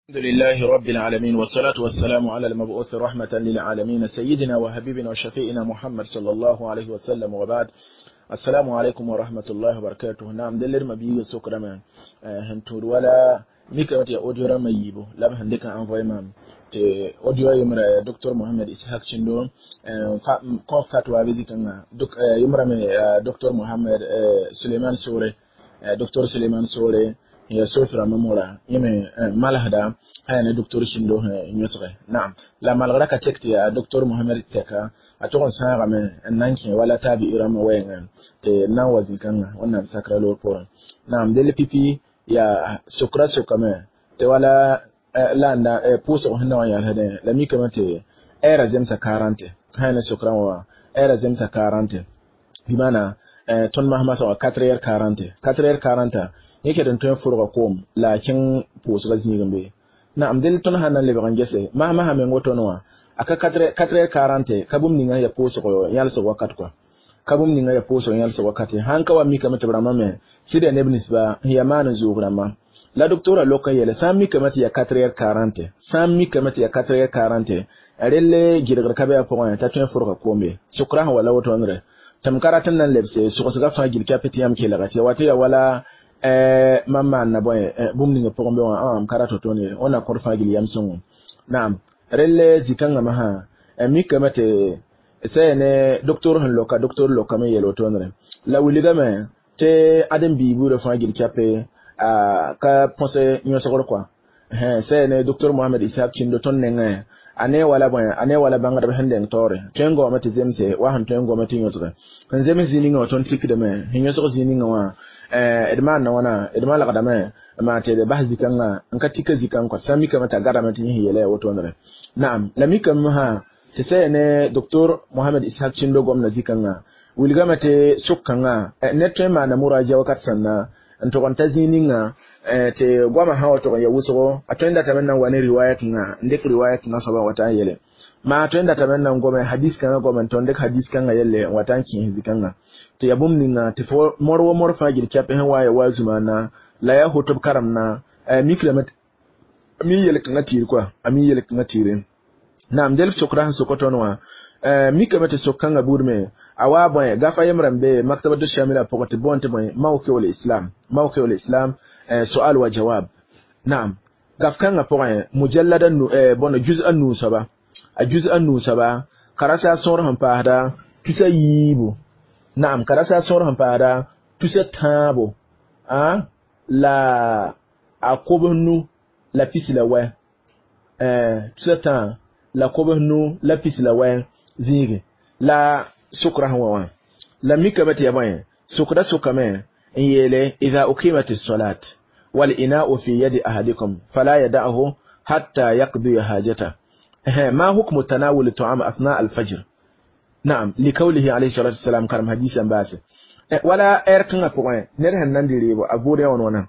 الحمد لله رب العالمين، والصلاة والسلام على المبعوث رحمة للعالمين، سيدنا وحبيبنا وشفيئنا محمد صلى الله عليه وسلم، وبعد، السلام عليكم ورحمة الله وبركاته. نعم، دلر مبيغ سكرما هنتور ولا ميكا تي audio rãmbã yiibu la b sẽn dɩk n envoyé maam tɩ audio yembrã docteur Mohamed Ishaq Chindo kõ fatwa be zikãngã yembrã me docteur Mohamed Suleiman Sore, docteur Suleiman Sore ya sofi rãmbã mora yẽ me malsda a yaa ne docteur Chindo sẽn yõsge. Naam, la malgrã ka tek tɩ yaa docteur Mohamed tɛka a tʋg n sãagame n na n kẽ wala taabi'i rãmbã wɛɛngã tɩ n na n wa zĩ-kãngã Wẽnnaam sakra loor poorẽ. Naam, dell pipi yaa sokra sokame tɩ wala la n na pʋʋsg sẽn na wa yãlsdẽ la mikame tɩ ɛɛra zemsa 40 sã ne sokraã wã ɛɛra zemsa 40 bɩ maana tõnd masmasã wã 4 heures 40, 4 heures 40 yẽ ket n tõe n fʋrga koom la a kẽng pʋʋsgã zĩigẽ be. Naam, dell tõnd sã na n lebg n gese masmasã meng woto wã a ka 4 heures 40 ka bũmb ninga ya pʋʋsg yãlsg wakat kɔa ka bũmb ninga ya pʋʋsg yãlsg wakate sãn ka wa mikame tɩ b rãmbã me sɩd yaa neb ninsba sẽn yaa maan n zoog rãmbã la doctora lok n yeele sã n mikame tɩ ya 4 heures 40, sã n mikame tɩ ya 4 heures 40 relle gɩdgr ka be a pʋgẽ t'a tõe n fʋrga koom ye sʋkrã sẽn wa la wotondre tɩ m ka rat n na n lebse sogsga fãa gil kɛpɩ tɩ yãmb kelga tɩ ya wa tɩ ya wala mam maanna bõe bũmb ninga pʋgẽ be wã m ka rat woto ne wẽnnaam kõt fãa gil yam sõngo. Naam, relle zĩ-kãngã masã mikame tɩ sã ne docteur sẽn loka docteur lokame yeel wotondre la wilgame tɩ ãdem-biig buudã fãa gil kɛpɩ ka põse yõsgr kɔa sã ne docteur Mohamed Ishaq Chindo tõnd nengẽ a ne wala bõe a ne wala bãngdb sẽn deng taoore tõe n gaoome tɩ zemse wa sẽn tõe n gome tɩ yõsge sẽn zems zĩ ninga wã tõnd tikdame sẽn yõsg zĩ ninga wã d maanda wãna d malgdame maa tɩ d bas zĩ-kãngã n ka tika zĩ-kãng kɔa sã n mikame t'a gadame tɩ yẽ sẽn yeela yaa wotondre. Naam, la mikame masã tɩ sã ya ne docteur Mohamed Ishaq Chindo gomda zĩ-kãngã wilgame tɩ sʋk-kãngã ned tõe n maana muraja wakat sãnna n tʋg n ta zĩig ninga tɩ goamã sã wa tʋg n ya wʋsgo a tõe n datame n na n wa ne riwaya kãngã n dɩk riwaya kãngã soabã n wa ta n yeele maa tõe n datame n na n gome hadis kãngã gome n tõnd dɩk hadis kãngã yelle n wa ta n kẽes zĩ-kãngã tɩ ya bũmb ninga tɩ fo mor wa mor fãa gil kɛpɛ sẽn wa ya wa zũmaana la yaa hoto b karemna mikrame mi yel kãngã tɩɩr kɔa a mi yel kãngã tɩɩre. Naam, del sokra sẽn sokɔ tõnd wã mikame tɩ sok-kãngã buud me a wa bõe gafa yembrã n be maktabatu shamila pʋgẽ tɩ boond tɩ bõe mawkiul islam, mawkiul islam sual wa jawab. Naam, gaf kãngã pʋgẽ mujallada bõna juz a nuu soaba a juz a nuu soaba karasa sõor sẽn paasda 300. Naam, karasa sõor sẽn paasda 300 la a kobs nu la pis la wɛ 340 la pis la wɛ zĩige la sʋkrã sẽn wa wã la mikame tɩ ya bõe sʋkda sʋkame n yeele إذا أقيمت الصلاة والإناء في يد أحدكم فلا يدعه حتى يقضي حاجته، ما حكم تناول الطعام أثناء الفجر؟ نعم، لقوله عليه الصلاة والسلام كرم حديثا باس wala ɛr kãngã pʋgẽ ned sẽn nan dɩ rɩɩbo a vʋʋd ya wãn wãna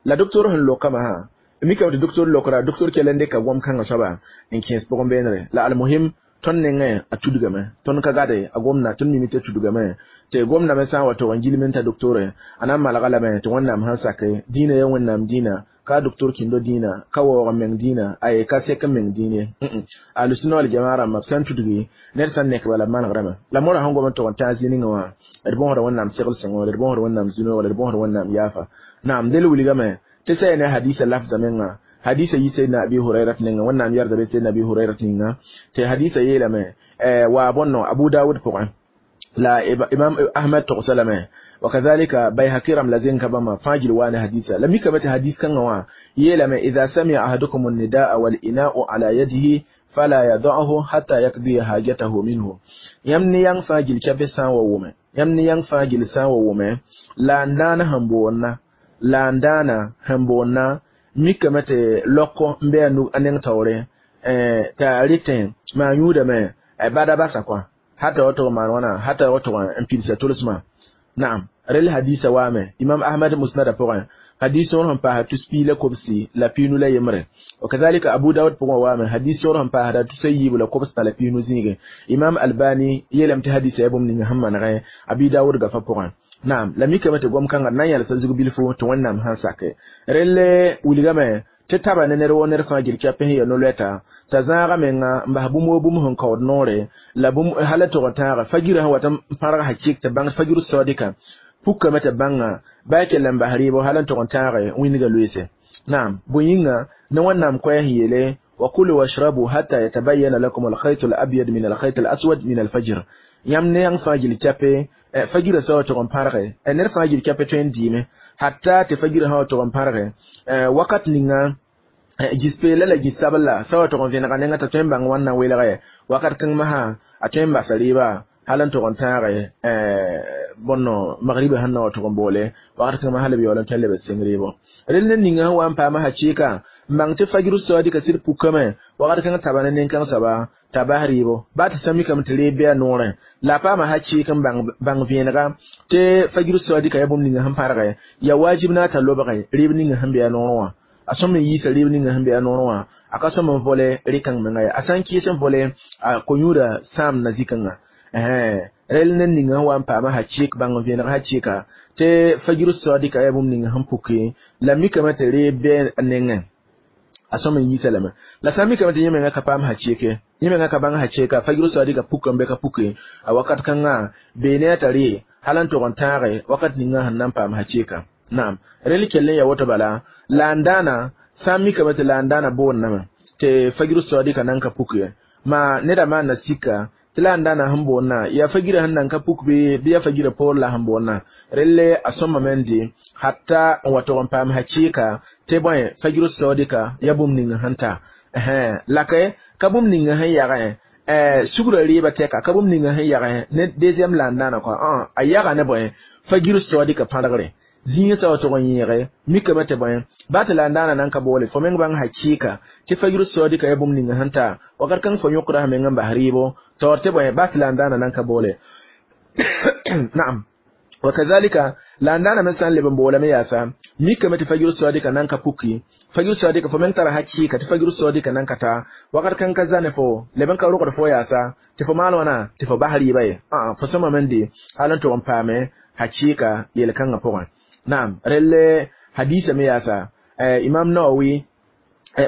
la docteur sẽn lokame sã mikame tɩ docteur lokra docteur kell n dɩka goam kãngã soaba n kẽes pʋgẽ beenre la almuhim tõnd nengẽ a tudgame tõnd ka gade a gomna tõnd mimi tɩ tudgame tɩ gomna me sã n wa tog n gilm n ta doctore a na n malga lame tɩ Wẽnnaam sẽn sake dĩinã ya Wẽnnaam dĩinã ka docteur kĩndo dĩinã ka waoog n meng dĩinã aye ka sek n meng dĩin ye ahlusũnna wal jamaa rãmbã b sã n tudgi ned sã n nek bala manegrame la mora sẽn gom n tog n tãag zĩ ninga wã d bõosda Wẽnnaam segl sõngo d bõosda Wẽnnaam zũno wala d bõosda Wẽnnaam yaafa. Naam, del wilgame tɩ sã ya ne hadisa lafza menga hadisa yi sayyidina Abi Hurairah ninga Wẽnnaam yarda be sayyidina Abi Hurairah ninga tɩ hadisa yeelame wa bõnno Abu Dawud pʋgẽ la Imam Ahmad togsa lame وكذلك بيهقي رم لزين كبما فاجل وانا حديثا لم يكمت حديث كان وا يلم إذا سمع أحدكم النداء والإناء على يده فلا يضعه حتى يقضي حاجته منه. يمني yang fagil chabe san wa wume yamni yang fagil san wa wume la ndana hambona la ndana hambona mikamate lokko mbe nu aneng tawre ta riten ma yuda me bada basa kwa hata wato man hata wato mpilsa tulusma. Naam, rel hadisa wame Imam Ahmad musnad pʋgẽ hadis sẽn paas tus pi la kobsi la pinu la yembre وكذلك Abu Dawud pʋgẽ wame hadis sẽn paasda tusa yiib la kobsã la pinu zĩige Imam Albani yeelame tɩ hadisa yaa bũmb ning sẽn manegẽ Abi Dawud gafa pʋgẽ. Naam, la mikame tɩ gom kãngã na n yãlsa zug bilfu tɩ Wẽnnaam sãn sake relle wilgame. Tɩ taba ne ned woo ned fãa gil chape sẽn ya no-loɛta t'a zãaga menga n bas bũmb woo bũmb sẽn kaood noore la bũmb hal tʋg n tãaga fajirã sẽn wat n pãrg hakɩk tɩ bãng fajir saoodika pukame tɩ bãnga baa kell n bas rɩɩbo hal n tʋg n tãage wĩndgã loeese naam bõe yĩnga ne wẽnnaam koɛɛs n yeele وكلوا واشربوا حتى يتبين لكم الخيط الأبيض من الخيط الأسود من الفجر yãmb ne yãng fãa gil chape fajirã sã wa tʋg n pãrge ned fãa gil chape tõe n dɩɩme hatta tɩ fajirã sã wa tʋg n pãrge wakat ninga gis-peela la gis-sabla sã wa tʋg n vẽnega nengã t'a tõe n bãng wãnna welge wakat kãng masã a tõe n basa rɩɩba hal n tʋg n tãage bõnno magriba sẽn na wa tʋg n boole wakat kãng masã la b yaool n tõe n leb seng rɩɩbo rel ne ninga sẽn wa n paama hakɩɩka n bãng tɩ fajir saoodika sɩd pukame wakat kãng taba ne nen-kãng soaba t'a bas rɩɩbo baa tɩ sã mikame tɩ rɩɩb bɩ a noorẽ la a paama hakɩɩk n bãng vẽenega tɩ fajir saoodika yaa bũmb ninga sẽn pãrge yaa wajib na t'a lobge rɩɩb ninga sẽn be a noorẽ wã a sõm n yiisa rɩɩb ninga sẽn be a noorẽ wã a ka sõm n vole rɩ-kãng menga ye a sã n kɩɩs n vole a ko-yũuda sãamda zĩ-kãnga rel ne ninga sẽn wa n paama hakɩɩk bãng n vẽeneg hakɩɩka tɩ fajir saoodika yaa bũmb ninga sẽn puke la mikame tɩ rɩɩb bɩ a nengẽ a sõm n yiisa lame la sã n mikame tɩ yẽ menga ka paam hakɩɩke yẽ menga ka bãng hakɩɩka fajir saoodika pukame bɩ ka puke a wakat kãngã bee ne a t'a rɩ hal n tʋg n tãage wakat ninga sẽn na n paam hakɩɩka naam rel kell n ya woto bala la n daana sã n mikame tɩ la n daana boonname tɩ fajir saoodika nan ka puk ye ma neda maana sika tɩ la n daana sẽn boonna yaa fajirã sẽn nan ka puk bɩ yaa fajirã poor la sẽn boonna relle a sõmame n dɩ hatta n wa tʋg n paam hakɩɩka tɩ bõe fajir saoodika yaa bũmb ning sẽn ta la ka bũmb ning sẽn yagẽ sugrã rɩɩbã tɛka ka bũmb ning sẽn yagẽ ne deuxième la n daana kɔ a yaga ne bõe fajir saoodika pãrgre zĩigã sã wa tʋg n yẽege mikame tɩ bõe baa tɩ la n daana nan ka boole fo meng bãng hakɩɩka tɩ fajir saoodika yaa bũmb ning sẽn ta wakat kãng fo yõkda sã meng n bas rɩɩbo taoor tɩ bõe baa tɩ la n daana nan ka boole naam wakazalika la n daana me sã n leb n boolame yaasa mikame tɩ fajir saoodika nan ka puki fajir saoodika fo meng tara hakɩɩka tɩ fajir saoodika nan ka ta wakat kãng ka zane fo leb n ka rogd fo yaasa tɩ fo maan wãna tɩ fo bas rɩɩba ye fo sõmame n dɩ hal n tʋg n paame hakɩɩka yel-kãngã pʋgẽ naam relle hadisa me yaasa imam nawawi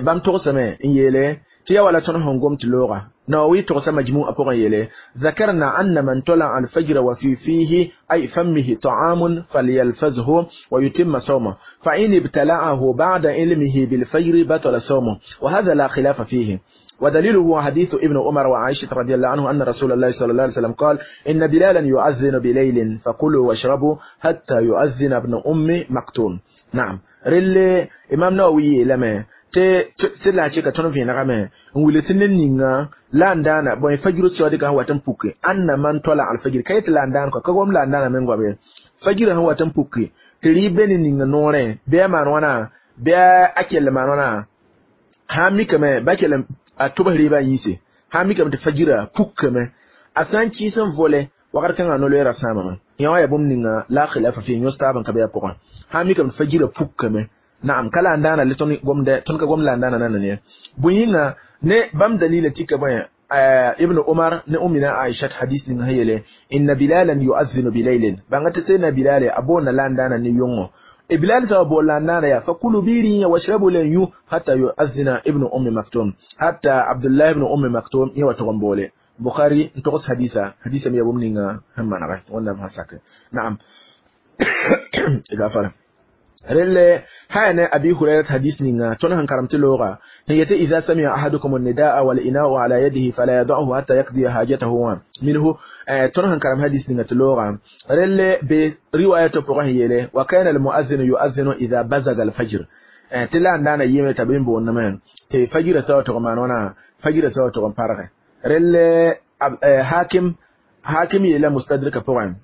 bãmb togsame n yeele tɩ yaa wala tõnd sẽn gom tɩ looga nawawi togsa majmu a pʋgẽ yeele ذكرنا أن من طلع الفجر وفي فيه أي فمه طعام فليلفظه ويتم صومه فإن ابتلعه بعد علمه بالفجر بطل صومه وهذا لا خلاف فيه ودليله حديث ابن عمر وعائشة رضي الله عنه أن رسول الله صلى الله عليه وسلم قال إن بلالا يؤذن بليل فكلوا واشربوا حتى يؤذن ابن أم مكتوم نعم رل إمام نووي لما tɩ la chika tõnd vẽenegame n wilg tɩ ned ninga la n daana bõe fajir saoodika sẽn wat n puke ãnna man tola alfajir ka yetɩ la n daan kɔ ka gom la n daana meng goame fajirã sẽn wat n puke tɩ rɩɩb be ne ninga noorẽ bɩ a maan wãna bɩ a kell maan wãna sã n mikame ba kell a tʋbs rɩɩbã n yiise sã n mikame tɩ fajirã pukame a sã n kɩɩs n vole wakat kãngã no-loeerã sãamame yã wã yaa bũmb ninga la khilafa fɩ yõs taab n ka be a pʋgẽ sã n mikame tɩ fajirã pukame naam kala n daana le tõnd gomdɛ tõnd ka gom la n daana nana ne bõe yĩnga ne bãmb dalila tika bõe ibn umar ne ummina aisha hadis ning sẽn yeele inna bilalan yu'adhinu bilaylin bãnga tɩ sẽna bilale a boonna la n daana ne yʋngo e bilal sa boon la n daana yaa fakulu bɩ washrabu lan yu hatta yu'adhina ibn ummi maktum hatta abdullah ibn ummi maktum yẽ wa tʋg n boole bukhari n togs hadisa hadisa me yaa bũmb ninga sẽn manege wẽnnaam sã sake naam gafara relle hayane abi hurairah hadis ninga tõnd sẽn karem tɩ looga sẽn yetɩ idha sami'a ahadukum an-nidaa wal ina'u ala yadihi fala yad'uhu hatta yaqdiya hajatahu minhu tõnd sẽn karem hadis ninga tɩ looga relle be riwaya to pʋgẽ sẽn yeele wa kana al-mu'adhdhinu yu'adhdhinu idha bazaga al-fajr tɩ la n daana yɩɩme t'a bɩ n boonname tɩ fajirã sa wa tʋg n maan wãna fajirã sa wa tʋg n pãrge relle hakim yeela mustadrika pʋgẽ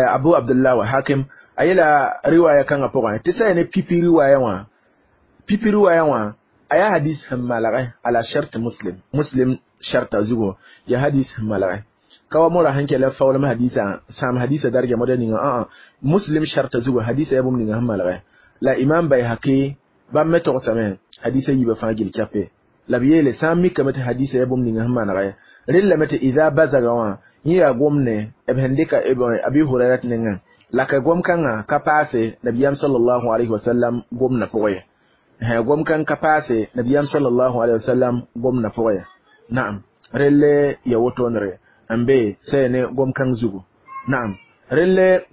abu abdullah wa hakim a yela riwaya kãngã pʋgẽ tɩ sã ya ne pipi riwaya wã a yaa hadis sẽn malgẽ ala shart muslim muslim sharta zugo ya hadis sẽn malgẽ ka wa mora sẽn kell faoolem hadisa sãam hadisa darga moda ninga ã muslim sharta zugo hadisa yaa bũmb ninga sẽn malgẽ la imam bayhaqi bãmb me togsame hadisa yiibã fãa gil chape la b yeele sã n mikame tɩ hadisa yaa bũmb ninga sẽn manegẽ rellame tɩ ida bazaga wã yẽ yaa gomne b sẽn dɩka abi hurairat nengẽ la ka gom kãngã ka paase nabiyam sallallahu alaihi wasallam gomna pʋgẽ ye Gom kan ka paase nabiyam sallallahu alaihi wasallam gom na pʋgẽ. Naam, relle ya wotonre n be sɛ ne gom kãng zugu. Naam, relle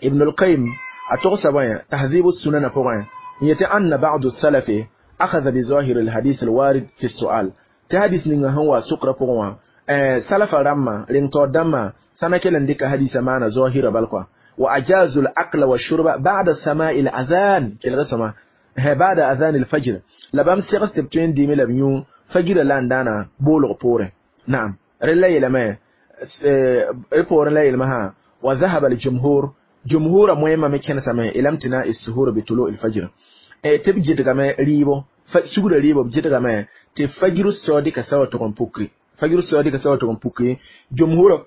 Ibn al-Qayyim a togsa bõe tahzibu sunana pʋgẽ n yetɩ anna ba'du salafi akhadha bi zahir al-hadith al-warid fi su'al, tɩ hadis ninga sẽn wa sʋkrã pʋgẽ wã, salafa rãmbã reng-taoor dãmbã sãna kell n dɩka hadisa maana zahira bal kɔa, wa ajazu al-akla wa shurba ba'da sama'i al-adhan, kelg sõma ba'da adhan al-fajr, la bãmb segs tɩ b tõe n dɩɩme la b yũ fajira la n daana boolg poorẽ. Naam, rel la yeelame poorẽ la yeelame sã wa dhahaba al-jumhur, jumhura moẽmã me kẽnesame ila imtina'i suhur bi tulu al-fajr, tɩ b gɩdgame rɩɩbo sugrã rɩɩbo b gɩdgame tɩ fajr sodika sawa tʋg n puki, fajr sodika sawa tʋg n puki. Jumhura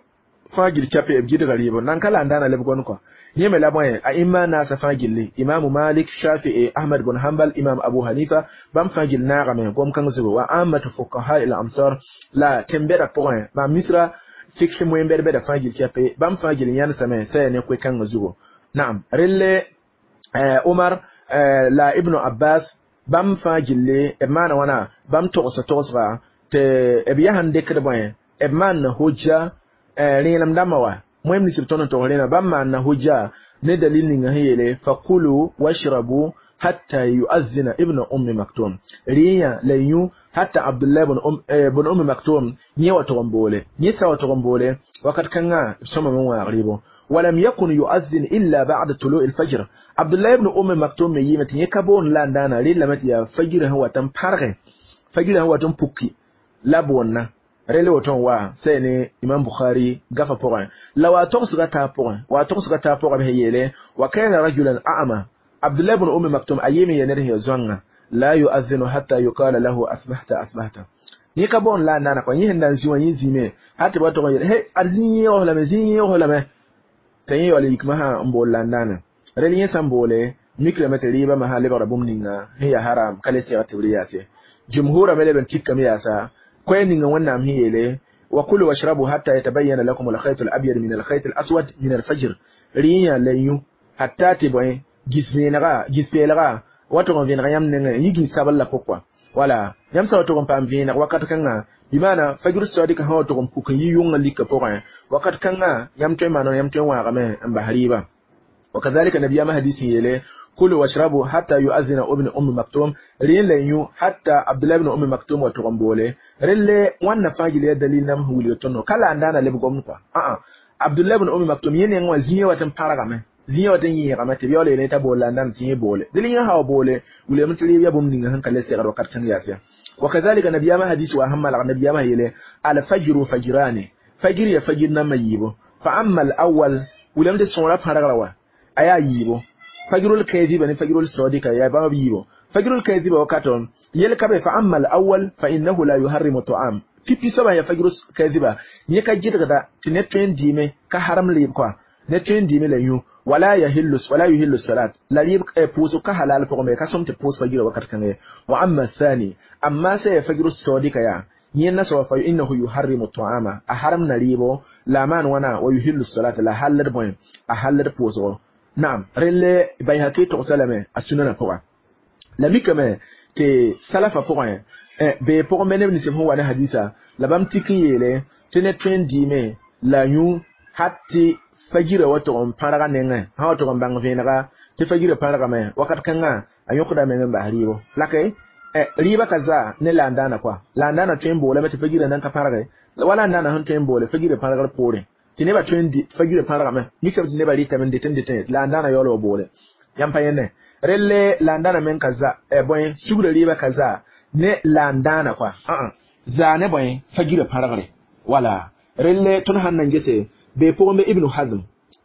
fãa gil chape b gɩdga rɩɩbo nan ka la n daana leb gõn kɔ yẽ me la bõe a imma naasa fãa gilli, imamu Malik, Shafi'i, Ahmad bn Hanbal, imam Abu Hanifa, bãmb fãa gil naagame gom kãng zugu, wa amatu fuqaha il amsar la tẽn-bɛda pʋgẽ maa misra fikh moen-bɛd-bɛda fãa gil chape bãmb fãa gil yãnesame sã ne koe-kãngã zugu. Naam, relle Umar la Ibnu Abbas bãmb fãa gilli b maana wãna bãmb togsã togsga tɩ b yaa sẽn dɩkd bõe b maan hujja rẽelem dãmbã wa moem nisb tõnd n togs rẽna bãmb maanna hujja ne dalil ninga sẽn yeele fakulu washrabu hatta yu'azzina Ibnu Ummi Maktum, rɩyã la yũ hatta Abdullah bn Ummi Maktum yẽ wa tʋg n boole, yẽ sa wa tʋg n boole wakat kãngã b sõmame n waag rɩɩbo. Walam yakun yu'azzin illa ba'da tulu al-fajr, Abdullah ibn Ummi Maktum me yɩɩme tɩ yẽ ka boond la n daana rellame tɩ yaa fajirã sẽn wat n pãrgẽ, fajirã sẽn wat n puki la boonna rel woto wa sɛ ne Imam Bukhari gafa pʋgẽ la wa togsga taa pʋgẽ, wa togsga taa pʋgẽ b sẽn yeele wa kana rajulan a'ma, Abdullah ibn Ummi Maktum a yɩɩme ya ned sẽn ya zoãnga la yu'adhinu hatta yuqala lahu asbahta asbahta, yẽ ka boond la n daana kɔ yẽ sẽn na n zĩ wã yẽ zĩime hal tɩ b wa tʋg n yeel he ad zĩ yẽog lame, zĩ yẽog lame t'a yẽ yaool yikmã sã n bool la n daana rel yẽ sã n boole mikrame tɩ rɩɩbã masã lebgra bũmb ninga sẽn ya haram ka le sɛgd tɩ b rɩ yaase. Jumhurã me leb n tikame yaasa koɛɛ ninga Wẽnnaam sẽn yeele wa kulu washrabu hatta yatabayyana lakum al-khayt al-abyad min al-khayt al-aswad min al-fajr, rɩyã la yũ hatta tɩ bõe gis-vẽenega gis-peelga wa tʋg n vẽneg yãmb nengẽ yĩ gĩs-sabl la pʋg kɔa, wala yãmb sã wa tʋg n paam vẽeneg wakat kãngã bɩ maana fajr sodika sã wa tʋg n puk n yɩ yʋngã lika pʋgẽ wakat kãngã yãmb tõe n maana yãmb tõe n wãagame n bas rɩɩbã. Wakadhalika nabiyama hadis yeele kulu washrabu hatta yu'adhina ibn Ummi Maktum, rɩ la yũ hatta Abdullah ibn Ummi Maktum wa tʋg n boole relle wãnna fãa gil yaa dalil nam sẽn wilg tõndo ka la n daana leb gomd kɔa ã Abdullah ibn Ummi Maktum yẽ neng wã zĩigã wat n pãrgame, zĩigã wat n yẽegame tɩ b yaool yeele t'a bool la n dãn tɩ yẽ boole dɩl yẽ sã wa boole wilgame tɩ rɩɩb yaa bũmb ninga sẽn ka le segd wakat kãng yaasya. Wakadhalika nabiyama hadis wa sẽn malg nabiyama yeele alfajru fajrani, fajr ya fajr nambã yiibu, fa amma al-awwal wilgame tɩ sõora pãrgrã wa a yaa yiibu fajrul kadhiba ne fajrul sodika ya bãmb yiibu fajrul kadhiba wakato yel ka be fa amma al-awwal fa innahu la yuharrimu ta'am, pipi soaba ya fajrul kadhiba yẽ ka gɩdgda tɩ ne tõe n dɩɩme ka haram rɩɩb kɔa ne tõe n dɩɩme la yũ wala yahillu wala yuhillu salat la rɩɩb pʋʋsg ka halal pʋgẽ me ka sõm tɩ pʋʋs fajira wakat kãngã ye. Wa amma thani amma sã ya fajrul sodika yaa yẽ nasaba fa innahu yuharrimu ta'ama a haram na rɩɩbo la a maan wãna wa yuhillu salat la hallad bõe a hallad pʋʋsgo. Naam, relle Bayhaqi togsa lame a sunana pʋga la mikame tɩ salafa pʋgẽ bee pʋgẽ be neb ninsb sẽn wa ne hadisa la bãmb tik n yeele tɩ ne tõe n dɩɩme la yũ hat tɩ fajira wa tʋg n pãrga nengẽ sã wa tʋg n bãng vẽenega tɩ fajira pãrgame wakat kãngã a yõkda meng n bas rɩɩbo la ke rɩɩbã ka zaa ne la n daana kɔa la n daana tõe n boolame tɩ fajira nan ka pãrge wala n daana sẽn tõe n boole fajira pãrgr poorẽ tɩ nebã tõe n dɩ fajira pãrgame mikame tɩ nebã rɩtame n dɩt la n daana yaool wa boole yãmb pa yẽnde relle la n daana meng ka za bõe sugrã rɩɩbã ka zaa ne la n daana kɔa zaa ne bõe fajira pãrgre wala relle tõnd sãn na n gese bee pʋgẽ be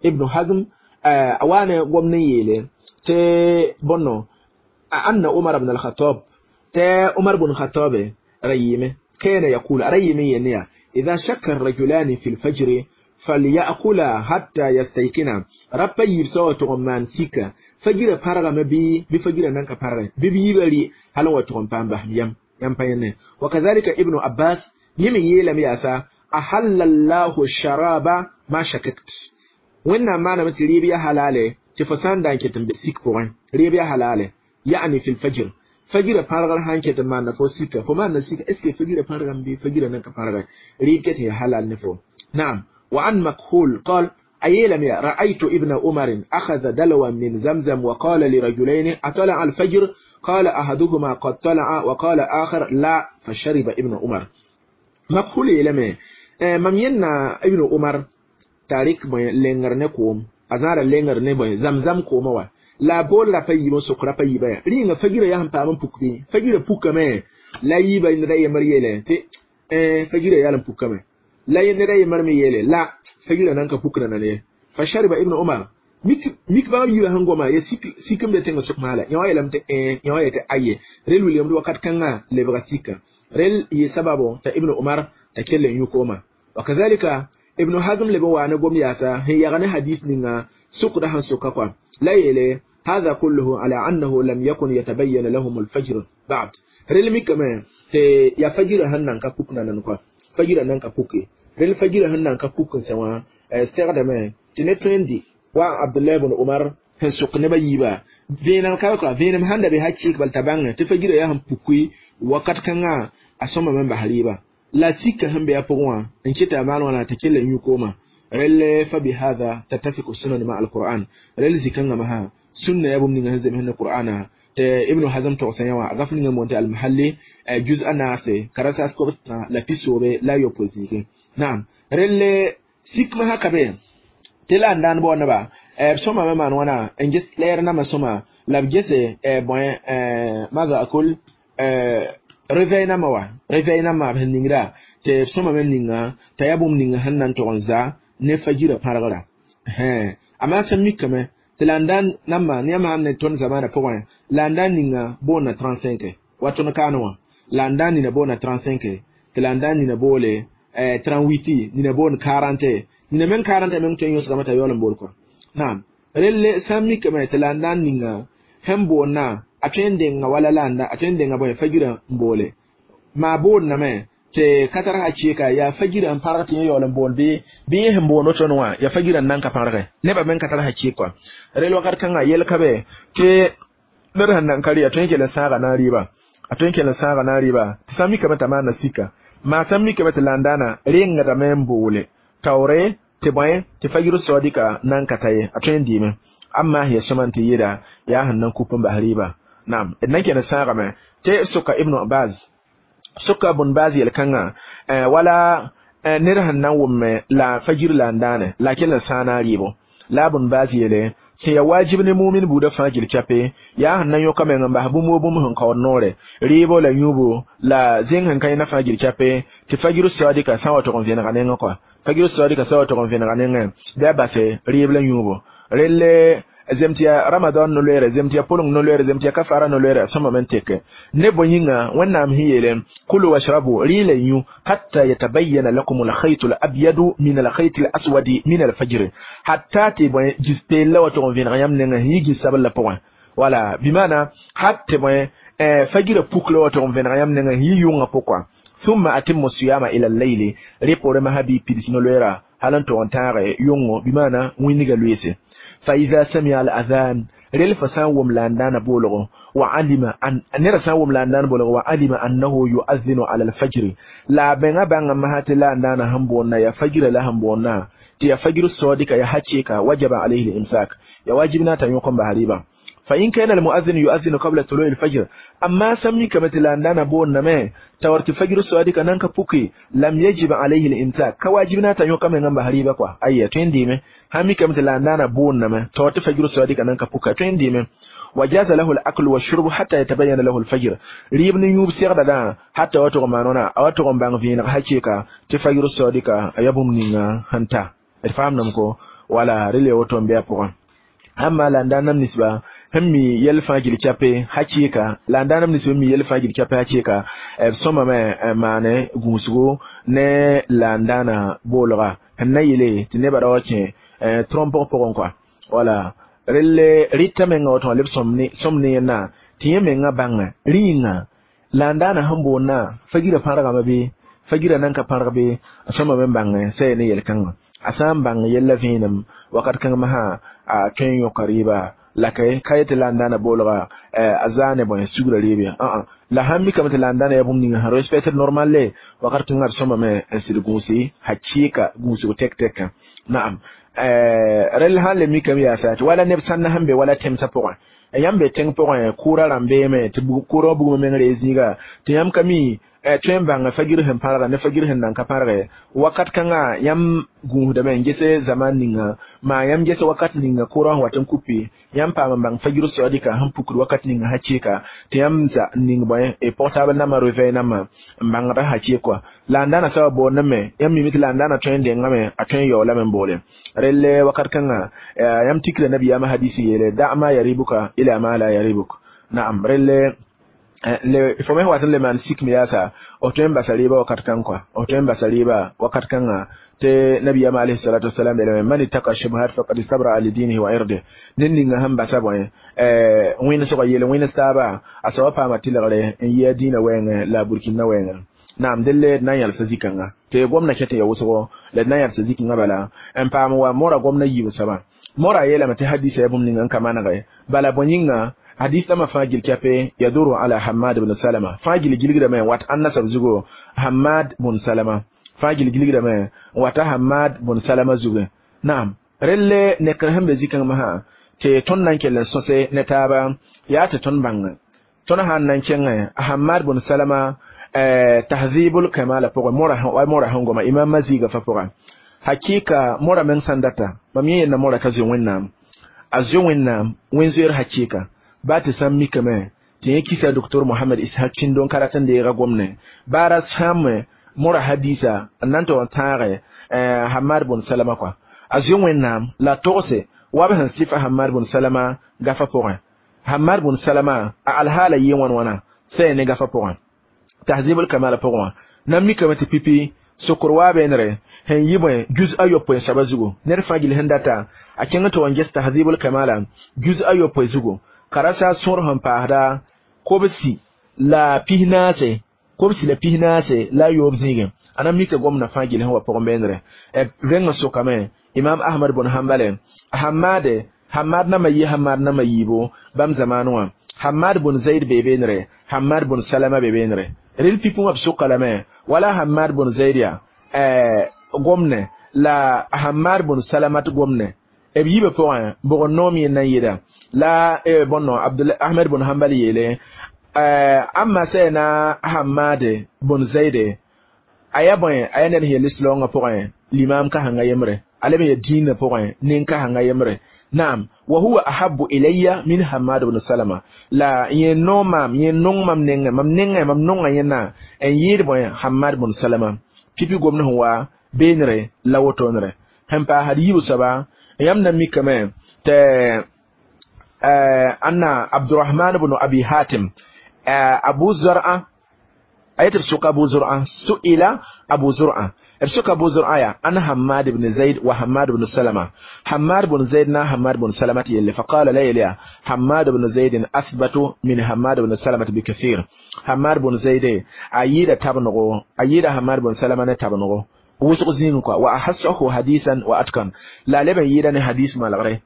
Ibnu Hazm a waa ne gomd n yeele tɩ bõnno anna Umar ibn al-Khattab tɩ Umar bn Khattab ra yɩɩme kana yaqulu a ra yɩɩme n yel yaa idha shakka ar-rajulani fi al-fajr falyakula hatta yastaykina rapa yiib sã wa tʋg n maan sika fajira pãrgame bɩ fajira nan ka pãrge bɩ b yiibã rɩ hal n wa tʋg n paam basem yam yãmb pa yẽnde. Wakadhalika Ibnu Abbas yẽ me yeelame yaasa ahalla Allahu sharaba ma shakakt, Wẽnnaam maaname tɩ rɩɩb yaa halale tɩ fo sã n da n ket n be sik pʋgẽ rɩɩb yaa halale ya'ni fi lfajr Fagira pargar hanke ta manna fo sika fo manna sika est ce que fagira pargam bi fagira nan ka parga riket ya halal ne fo. نعم. وعن مكحول قال أيلم رأيت ابن عمر أخذ دلوا من زمزم وقال لرجلين أطلع الفجر؟ قال أحدهما قد طلع وقال آخر لا، فشرب ابن عمر. مكحول يلم مم ينا ابن عمر تاريخ لنغر نكوم أزار لنغر نبوي زمزم كوموا la bol la payi mo sokra payi ba ringa fagira ya hampa man pukbi fagira pukame la yiba inda ya mariyele te fagira ya lan pukame la yene ray marmi yele la fagira nan ka pukra na ne fa shariba ibnu umar mik ba yiba hangoma ya sikum de tenga sok mala yawa yelam te yawa yete aye rel william wakat kanga le bratika rel yi sababo ta ibnu umar ta kellen yukoma. Wakadhalika ibnu hazm le wa na gom yasa he ya gane hadith ninga sukra han suka kwa la yele هذا كله على أنه لم يكن يتبين لهم الفجر بعد. رel mikame te ya fajira hannan ka pukna nan kwa fajira nan ka puke rel fajira hannan ka pukun sawa segda me tine twendi wa Abdullah ibn Umar hen suk ne ba yiba venam ka ko venam handa be hakki bal tabanga te fajira ya han pukui wakat kanga asoma men ba hariba la sika han be ya pugwa en kita malwana ta killa yukoma rel fa bi hadha tattafiqu sunan ma alquran rel zikanga maha sunna ya bum ninga hazem hen qur'ana te ibnu hazm to sanyawa agaf ninga monte al mahalli juz anase karasa ko la pisobe la yoposike. Naam. Relle sikma hakabe tela ndan bo na ba soma ma man wana enges ler na masoma la gese bon maza akul réveil na mawa réveil na ma ningra te soma men ninga tayabum ninga hannan to onza ne fajira paragara he amma san mikame te landan namma ne ma ne ton zamana pogon landan ninga bona 35 wato na kanwa landan ni na bona 35 te landan ni na bole 38 ni na bon 40 ni na men 40 men ton yos gamata yolan bol ko. Naam. Relle sami kama te landan ninga hembo na atende nga wala landa atende nga boy fagira mbole ma bon na me te katar ha cheka ya fagira an parata yolan bol be be hembo no tonwa ya fagira nan ka parata ne ba men katar ha cheka rel wakar kan yel kabe te ner hannan kariya to yake la saga na riba a to yake la saga na riba sami kama ta mana sika ma sami kama ta landana renga da men bole tawre te boy te fagiru sodika nan kataye a to yindi amma ya shamanti yida ya hannan kufin ba riba. Naam. Idan ke na saga me te suka ibnu abbas suka bun bazi yelkanga wala nir hannan wumme la fajir landane lakin la sana ribo la bun bazi yele se ya wajib ne mumin buda fajir chape ya hannan yo kamen ngamba habu mo bum hon kawon nore ribo la nyubo la zin han kai na fajir chape ti fajiru sadika sawa to konvena kanenga kwa fajiru sadika sawa to konvena kanenga da base ribo la nyubo relle zemtiya ramadan no lere zemtiya pulung no lere zemtiya kafara no lere sama men teke ne boyinga wannan hiyele kulu washrabu rile yu hatta yatabayyana lakum al-khayt al-abyad min al-khayt al-aswad min al-fajr hatta te boy jiste lawa to vin rayam ne higi sabal point wala bimana hatta boy fajr puklo wato vin rayam ne hiyunga pokwa thumma atimmu siyama ila al-layli repore mahabi pidisno lera halanto ontare yungo bimana winiga luese فإذا سمع الأذان ريل فساوم لاندان بولغو وعلم أن نرساوم لاندان بولغو وعلم أنه يؤذن على الفجر لا بنا بنا مهات لاندان همبونا يا فجر لا همبونا تي فجر الصادق يا حقيقة وجب عليه الإمساك يا واجبنا تنيقم بهريبا فإن كان المؤذن يؤذن قبل طلوع الفجر أما سمي كما لاندان بولنا ما تورت فجر الصادق نانك بوكي لم يجب عليه الإمساك كواجبنا تنيقم بهريبا كوا أي تنديمه hami kam te landana bonna ma tawata fajr sadiqa nan ka puka twendi me wajaza lahu al-akl wa shurb hatta yatabayyana lahu al-fajr ribni yub sirda da hatta wato manona wato bang vina hakika te fajr sadiqa ayabum ninga hanta faham nam ko wala rile woto mbiya pokon amma landana nisba hammi yel fajir chape hakika landana nisba mi yel fajir chape hakika soma me mane gusugo ne landana bolra hanna yele tine barawache trompe pokon kwa wala relle rita menga wato leb somni na tiye menga banga ringa landana hambo na fagira faraga mabe fagira nan ka faraga be asama men banga sai ne yel kanga asam banga yella vinam wakat kanga maha a kenyo kariba La ka yetɩ la n daana boolga a zaane bõe sugrã reeb ya la sãn mikame tɩ la n dãana yaa bũmb ninga sẽn respecter normal le wakat kãngã b sõmame n sɩd gũusi hakɩɩka gũusg tek-tekã. Naam, rel sãn le mikame yaasa tɩ wala neb sãnna sẽn be wala tẽmsã pʋgẽ, yãmb be tẽng pʋgẽ kʋʋrã rãmb beeme tɩ kʋʋrã bugmã meng ree zĩiga tɩ yãmb ka mi tõe n bãng fagir sẽn pãrga ne fagir sẽn nan ka pãrge. Wakat kãngã yãmb gũusdame n gese zaman ninga maa yãmb ges wakat ninga kʋʋrã sẽn wat n kupi yãmb paam n bãng fagir saoodika sẽn pukd wakat ninga hakɩɩka tɩ yãmb za n ning bõe portable nambã réveil nambã n bãngda hakɩɩk kɔa. La n daana soaba boondame me yãmb mime tɩ la n daana tõe n dengame a tõe n yaoolame n boole relle wakat kãngã yãmb tikra nabiyaamã hadisi yeele da ma yaribuka ila ma la yaribuk. Naam, relle le fo me wat n le maan sik me yaasa f tõe n basa rɩɩbã wakat kãng kɔa, f tõe n basa rɩɩbã wakat kãngã tɩ nabiyaamã alayhi salatu wasalam yeelame man ittaka shubhat faqad istabraa li dinihi wa irdihi. Ned ninga sẽn basa bõe wẽnsgã yel wẽns taaba a soaba paama tɩlgre n yi a dĩinã wɛɛngẽ la a burkĩndã wɛɛngẽ. Naam, delle d na n yãlsa zĩ-kãnga tɩ gomdã kẽ tɩ ya wʋsgo la d na n yãlsa zĩ-kãngã bala n paam wa mora gomdã yiib soaba. Mora yeelame tɩ hadisa ya bũmb ninga n ka manege bala bõe yĩnga hadis dãmbã fãa gil kɛpe yaduru ala Hamad bn Salama fãa gil gilgdame n wat ãnna soab zugo Hamad bn Salama fãa gil gilgdame n wata Hamad bn Salama zugu. Naam, relle nekr sẽn be zĩ-kãng masã tɩ tõnd na n kell n sõse ne taaba yaa tɩ tõnd bãng tõnd sã n na n kẽngẽ Hamad bn Salama tahzibul kamala pʋgẽ mora sẽn goma imam maziiga fa pʋgã hakɩɩka mora meng sãn data mam yẽ yelna mora ka zoe Wẽnnaam a zoe Wẽnnaam wẽn-zoeer hakɩɩka baa tɩ sãn mikame tɩ yẽ kisa docteur Mohamed Ishaq Chindo n ka rat n deega gomne baara sãame mora hadisa n na n tɩ n tãage Hamad bn Salama kɔa a zoe Wẽnnaam la togse wa b sẽn sɩfa Hamad bn Salama gafa pʋgẽ. Hamad bn Salama a alhaala yɩ wãn wãna sã ne gafa pʋgẽ tahzibul kamala pʋgẽ wã na n mikame tɩ pipi sokr waa beenre sẽn yɩ bõe juz ayopoe soaba zugu ned fãa gill sẽn data a kẽng tɩ wa n ges tahzibul kamala juz ayopoe zugu karasa sõor sẽn paasda kobsi la pisnaase kobsi la pisnaase la a yoob zĩigẽ a na mika gomdã fãa gill sẽn wa pʋgẽ beenre reng n sokame Imam Ahmad bn Hanbale Hamade Hamad nama yi Hamad nama yiibo bãmb zamaan wã Hamad bn Zaid be beenre Hamad bn Salama be beenre rel pipi wã b soka lame wala Hamad bn Zaid ya gomne la Hamad bn Salama tɩ gomne b yiibã pʋgẽ bʋg n noom yẽ na n yɩda la bõn Abdul Ahmed bn Hanbal yeele amma sɛna Hamad bn Zaid a yaa bõe a yaa ned sẽn yel lislaoongã pʋgẽ limaam kasengã yembre a leb n yaa dĩinã pʋgẽ nin-kasengã yembre. Naam, wa huwa ahabbu ilayya min Hamad bn Salama la yẽ noom maam yẽ nong mam nengẽ mam nonga yẽnna n yɩɩd bõe Hamad bn Salama pipi gomd sẽn wa beenre la wotonre sẽn paasd yiib soaba yãmb na mikame tɩ anna Abdurrahman bn Abi Hatim Abu Zur'a ayat suka Abu Zur'a su'ila Abu Zur'a suka Abu Zur'a ya an Hammad ibn Zaid wa Hammad ibn Salama Hammad ibn Zaid na Hammad ibn Salama yelle faqala la yaliya Hammad ibn Zaid athbatu min Hammad ibn Salama bi kathir Hammad ibn Zaid ayida tabnogo ayida Hammad ibn Salama ne tabnogo wʋsg zĩig kɔa wa ahassahu hadisan wa atkan la leb n yɩɩda ne hadis malgre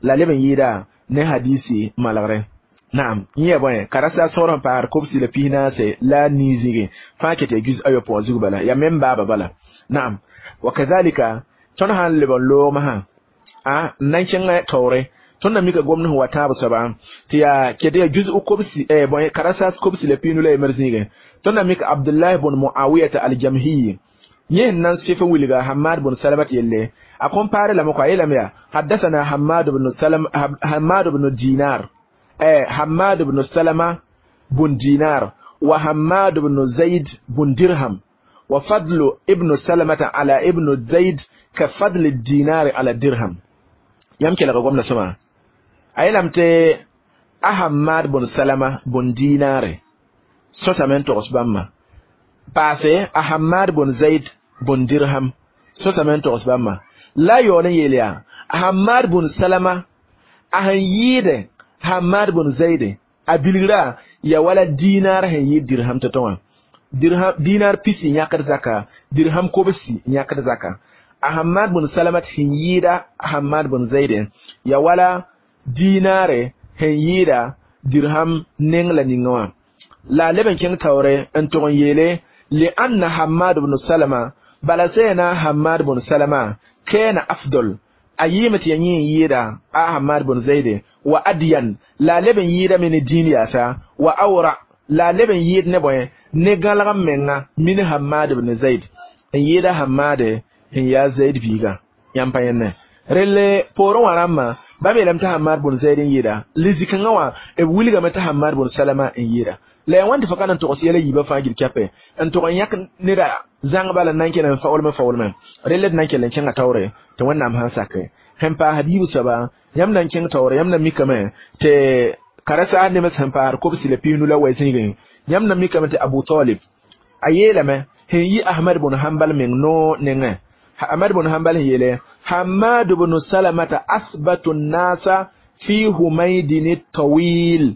la leb n yɩɩda ne hadisi malgre. Naam, yẽ bõe karasa sõor sẽn paasd kobsi la pisnaase la nii zĩige fãa ket yaa juz ayopõ zug bala yaa mem baaba bala. Naam, wa kazalika tõnd sãn leb n loog masã n na n kẽngã taoore tõnd na mika gomd sẽn wa tãab soaba tɩ yaa ket yaa juz kobsi bõe karasa kobsi la piinu la yembr zĩige tõnd na mika Abdullah bn Muawiyata al-Jamhiyi yẽ n na n sɩf n wilga Hamad bn Salama tɩ yelle a compaare lame kɔa yeelame yaa haddathana Hamad bn Salama Hamad bn Dinar Hamad bn Salama bn Dinar wa Hamad bn Zaid bn Dirham wa fadlu ibn Salamata ala ibn Zaid ka fadli dinar ala dirham yãmb kelga gomdã sõma a yeelame tɩ a Hamad bn Salama bn Dinare sõsame n togs bãmbã paase a Hamad bn Zaid bn Dirham sõsame n togs bãmbã la yaool n yeel yaa Hamad bn Salama a sẽn yɩɩdẽ Hamad bn Zaid a bilgra ya wala dinar sẽn yɩɩd dirham tɩ wã dirham dinar pisi yãkd zaka dirham kobsi yãkd zaka a Hamad bn Salama sẽn yɩɩda Hamad bn Zaid ya wala Dinare sẽn yɩɩda dirham neng la ninga wã la leb n kẽng taoore n tʋg n yeele lianna Hammad bnu Salama bala sẽna Hammad bn Salama kana afdal a yɩɩme tɩ ya yẽ n yɩɩda a Hammad bn Zaide wa adiyan la leb n yɩɩdame ne dĩin yaasa wa awra la leb n yɩɩd ne bõe ne gãlg n menga min Hammad bn Zaid n yɩɩda Hammad n yaa Zaid biiga yãmb pa yẽnne relle poorẽ wã rãmbã bãmb yeelame tɩ Hammad bn Zaid n yɩɩda li-zĩ-kãngã wã b wilgame tɩ Hammad bn Salama n yɩɩda la yaa wãn tɩ fo ka n togs yɛla yiibã fãa gil kɛpɛ n tʋg n yãk neda zãng bala n na n kell n faoolme relle d na n kell n kẽngã taoore tɩ Wẽnnaam sãn sake sẽn paasd yiib soaba yãmb na n kẽng taoore yãmb na mikame tɩ karasa nems sẽn paasd kobsi la pinu la wɛ zĩigẽ yãmb na mikame tɩ Abu Talib a yeelame sẽn yi Ahmad bn Hanbal meng no nengẽ Ahmad bn Hanbal sẽn yeele Hammad bn Salamata asbatu nnasa fi Humaydin tawil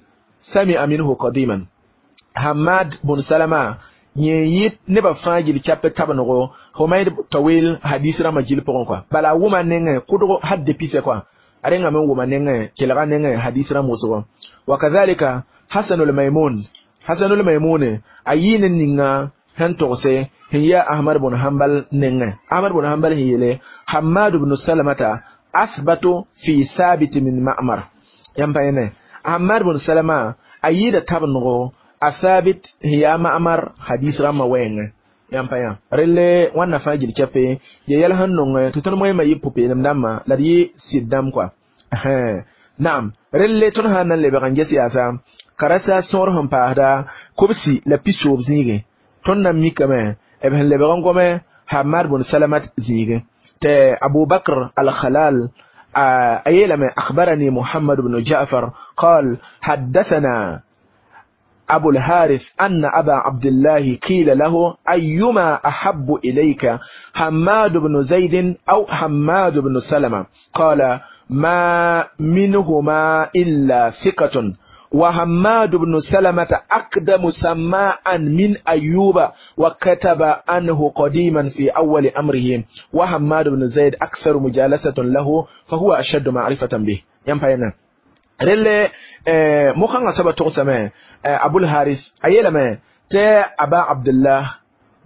sami'a minhu qadiman Hammad bn Salama yẽ yɩ nebã fãa gil kɛp tabnego Humayd Tawil hadis rãmbã gil pʋgẽ kɔa bala a wʋma nengẽ kʋdg had depuis sɛ kɔa a rẽngame n wʋma nengẽ kelga nengẽ hadis rãmb wʋsgo wa kadhalika Hasanul Maimun Hasanul Maimun a yɩ ne ninga sẽn togse sẽn yaa Ahmad bn Hanbal nengẽ Ahmad bn Hanbal sẽn yeele Hammad bn Salamata asbatu fi Sabit min Ma'mar yãmb pa yẽne Hammad bn Salama a yɩɩda tabnego a Sabit sẽn yaa Ma'mar hadis rãmbã wɛɛngẽ yãmb pa yã relle wãnna fãa gil kɛpe ya yɛl sẽn nongẽ tɩ tõnd moẽmã yɩ pʋ-peelem dãmbã la d yɩ sɩd dãmb kɔa naam relle tõnd sã n na n lebg n ges yaasa karasa sõor sẽn paasda kobsi la pisoob zĩigẽ tõnd na n mikame b sẽn lebg n gome Hammad bn Salamat zĩigẽ tɩ Abu Bakr al-Khalal a yeelame akhbarani Muhammad bn Ja'far قال حدثنا أبو الحارث أن أبا عبد الله قيل له أيما أحب إليك حماد بن زيد أو حماد بن سلمة قال ما منهما إلا ثقة وحماد بن سلمة أقدم سماعا من أيوب وكتب عنه قديما في أول أمره وحماد بن زيد أكثر مجالسة له فهو أشد معرفة به ينفعنا relle mokãngã soaba togsame Abul Haris a yeelame tɩ Aba Abdullah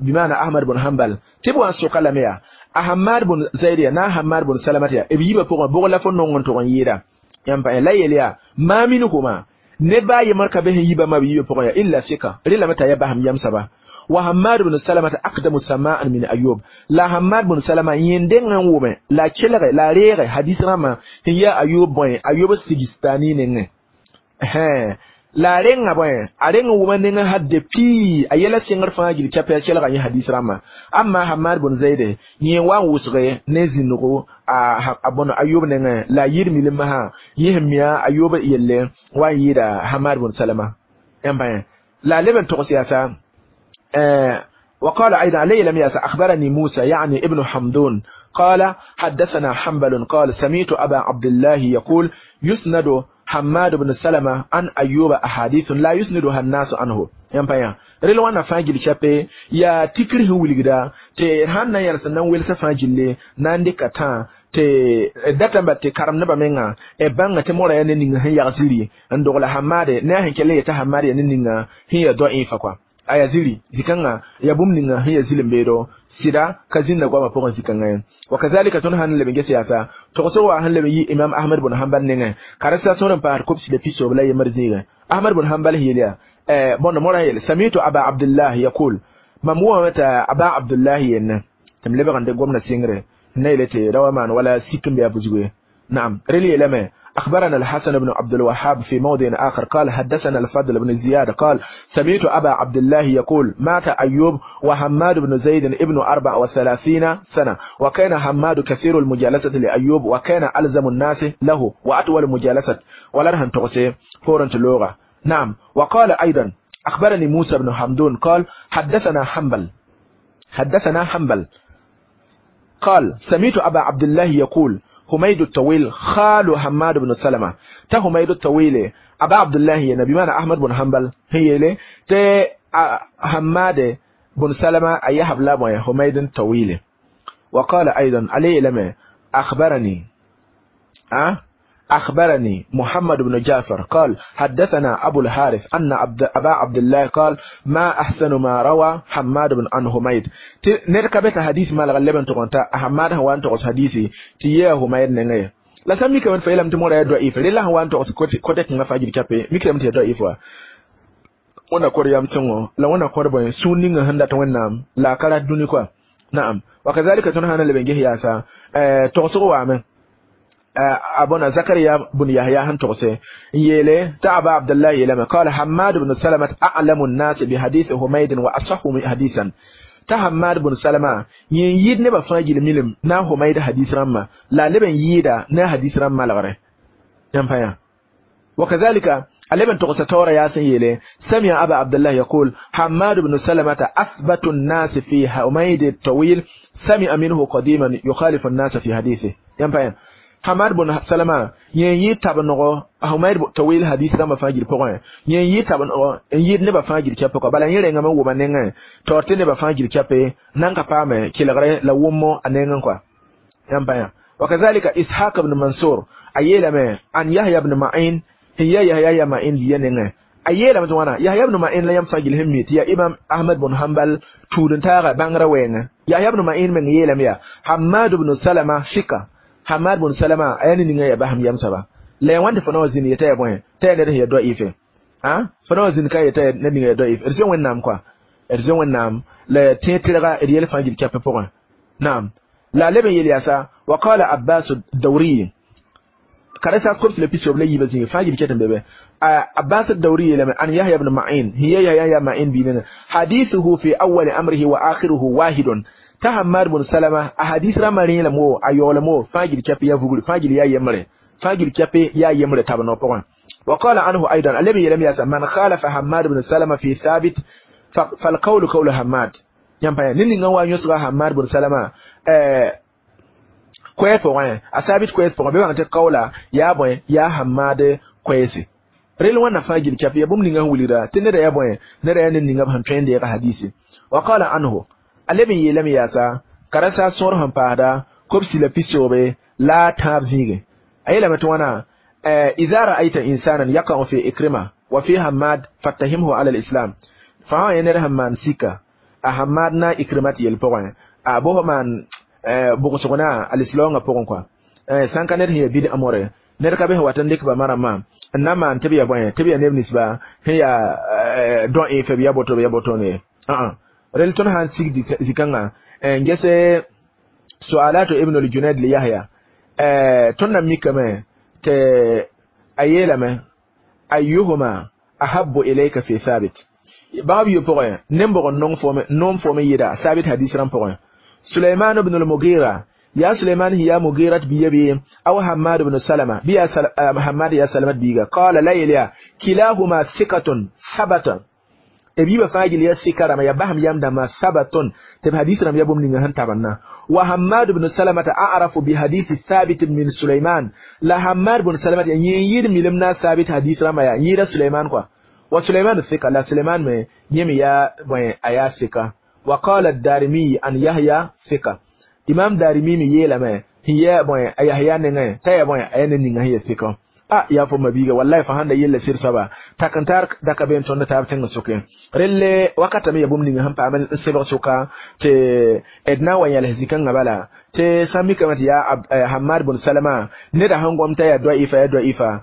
bimana Ahmad bn Hanbal tɩ b wa n soka lame yaa a Hammad bn Zaid ya na Hammad bn Salamat ya b yiibã pʋgẽ bʋg la fo nong n tʋg n yɩɩda yãmb pa la yeel yaa maa minhuma ne baa yemr ka be sẽn yiibã ma b yiibã pʋgẽ ya illa sika relame t'a ya basem yam soaba wa Hammad bn Salamata aqdamu sama'an min Ayub la Hammad bn Salama yẽn deng n wʋme la kelge la reege hadis rãmbã sẽn yaa Ayub bõe Ayub Sigistani nengẽ la renga bõe a reng n wʋma nengẽ had depuis a yɛla sẽngr fãa gil kɛpɛ a kelga yẽ hadis rãmbã amma Hammad bn Zaide yẽ wa n wʋsge ne zĩndgo a bõn Ayub nengẽ la a yɩɩd milim masã yẽ sẽn mia Ayub yelle wa n yɩɩda Hammad bn Salama yãmb pa la leb n togs yaasa وقال أيضا علي لم يأس أخبرني موسى يعني ابن حمدون قال حدثنا حنبل قال سمعت أبا عبد الله يقول يسند حماد بن سلمة عن أيوب أحاديث لا يسندها الناس عنه ينبايا rel wãnna fãa gil kɛpe yaa tikr sẽn wilgda tɩ sãn na n yãls n na n welsa fãa gilli na n dɩka tã tɩ datã ba tɩ karem nebã menga b bãnga tɩ mora yaa ne ninga sẽn yag ziri n dogla Hamade ne a sẽn kell n yeta Hamad yaa ne ninga sẽn yaa dɔ-ẽefa kɔa aya ziri zikãngã ya bũmb ninga sẽn yaa zilem-beedo sɩda ka zĩnda goamã pʋgẽ zikãngã ye wa kazalika tõnd sãn leb n ges yaasa togsg wa sẽn leb n yi Imam Ahmad bn Hanbal nengẽ karsa sõor n paasd kobsi la pisoob la yembr zĩigẽ Ahmad bn Hanbal sẽn yeel yaa bõnd mora yeel samitu Aba Abdullah yaqul mam wʋmame t'a Aba Abdullah yenne tɩ m lebg n dɩk gomdã sɩngre n na yeele tɩ ra wa maan wala sik n be a busgu naam rel yeelame أخبرنا الحسن بن عبد الوهاب في موضع آخر قال حدثنا الفضل بن زياد قال سمعت أبا عبد الله يقول مات أيوب وحماد بن زيد ابن 34 سنة وكان حماد كثير المجالسة لأيوب وكان ألزم الناس له وأطول مجالسة ولا رهن تغسي فورا اللغة. نعم. وقال أيضا أخبرني موسى بن حمدون قال حدثنا حنبل قال سمعت أبا عبد الله يقول حميد الطويل خال حماد بن سلمة تا حميد الطويل أبا عبد الله يا نبي مانا أحمد بن حنبل هي لي تا حماد بن سلمة أي حبلا حميد الطويل. وقال أيضا عليه لما أخبرني أخبرني محمد بن جعفر قال حدثنا أبو الحارث أن أبا عبد الله قال ما أحسن ما روى حماد بن عن حميد نركبت حديث ما لغلبن تقونتا حماد هو أن تقص حديثي تيه حميد نغي لا سمي كمان فيلم تمورا ضعيف لله هو أن تقص كوتك نفاجر كابي ميكرم تيه ضعيف wana kor yam tingo la wana kor boy sunni nga handa to wennam la kala duni kwa na'am wa kadhalika tunhana lebenge hiyasa togso wa men أبونا زكريا بن يحيى هن تغسي يلي تعب عبد الله لما قال حماد بن سلمة أعلم الناس بحديث حميد وأصح من حديثا تحماد بن سلمة ييد نبا فاجل ميلم نا حميد حديث رمى لا لبن ييدا نا حديث رمى لغره ينفيا وكذلك ألبن تغسي تورا ياسن يلي سمع أبا عبد الله يقول حماد بن سلمة أثبت الناس في حميد الطويل سمع منه قديما يخالف الناس في حديثه ينفيا Hamad bun Salama yen yi tabnogo Humayd tawil hadith rama fajir pogõ yen yi tabnogo n yɩd nebã fãa gil kɛpɛ kɔ bala yẽ rengame n wʋma nengẽ taoor tɩ nebã fãa gil kɛpe nan ka paame kelgre la wʋmmo a nengẽ kɔa yãmb pa yã wakazalika Ishaq ibn Mansur a yeelame an Yahya ibn Ma'in n ya Yahya ya Ma'in biya nengẽ a yeelame tɩ wãna Yahya ibn Ma'in la yãmb fãa gil sẽn mi tɩ yaa Imam Ahmad bun Hanbal tuud n taaga bãngrã wɛɛngẽ Yahya ibn Ma'in meng yeelame yaa Hammad ibn Salama fika Hamad bun Salama ayani ninga ya baham yam saba la wanda fa nawa zini yata boy ta ne da ya do ife ha fa nawa zini ka yata ne ninga ya do ife irzen wannan kwa irzen wannan la tetirga iriyal fangil kafe pogon na'am la leben yeli yasa wa qala Abbas ad-Dawri karasa kubs le piso le yiba zini fangil ketan bebe Abbas ad-Dawri lama an Yahya ibn Ma'in hiya Yahya Ma'in binana hadithuhu fi awwal amrihi wa akhiruhu wahidun ta Hammad bin Salama a hadis ramarin la mo a yola mo fagil kafe ya vugul fagil ya yemre fagil kafe ya yemre tabno pokon wa qala anhu aidan alladhi lam yasa man khalafa Hammad bin Salama fi thabit fal qawlu qawlu Hammad yampa nini ngawa nyosga Hammad bin Salama kwe pokon a thabit kwe pokon be bangte qawla ya boy ya Hammad kwese rel wana fagil kafe ya bum ninga wulira tinda ya boy nera ya ninga ban trend ya hadisi wa qala anhu alebin yelem yaasa karasa sõor sẽn paasda kobsi la pisobe la tãab zĩige a yeelame tɩ wãna idha ra'ayta insanan yaqa'u fi ikrima wa fi hammad fattahimhu ala alislam fa sã ned sẽn maan sika a hammad na ikrima tɩ yel pʋgẽ a bos maan bʋgsg na alislaoongã pʋgẽ kɔa sãn ka ned sẽn ya bid amore ned ka be sẽn wat n dɩk ba marãmbã n na maan tɩ b ya bõe tɩ b ya neb ninsba sẽn yaa dõ b ya boto b ya botone rel ton han sig zikanga ngese su'alatu ibn al-Junayd li Yahya ton na mikame te ayelame ayyuhuma ahabbu ilayka fi thabit bab yu pore nembo non fome non fome yida thabit hadith ran pore Sulaiman ibn al-Mughira ya Sulaiman hiya Mughirat biyabi aw Hammad ibn Salama biya Hammad ya Salamat biga qala la ilaha kilahuma thiqatun thabata ebiba fagil ya sikara ma ya baham yamda ma sabatun tab hadith ram yabum ninga han tabanna wa Hammad ibn Salama a'rafu bi hadith thabit min Sulaiman la Hammad ibn Salama yin milimna thabit hadith ram ya yira Sulaiman kwa wa Sulaiman thika la Sulaiman me yemi ya boy aya thika wa qala ad-Darimi an Yahya thika Imam Darimi mi yela me hiya boy Yahya ne ta ya boy aya ninga hiya thika a ya fo mabiga wallahi fa handa yella sir saba takantar daka ben ton ta tin suke relle wakata mi yabum ninga hampa amal sebr suka te edna wa yal zikan ngabala te sami kamati ya Hammad bin Salama ne da hangom ta ya do'ifa ya do'ifa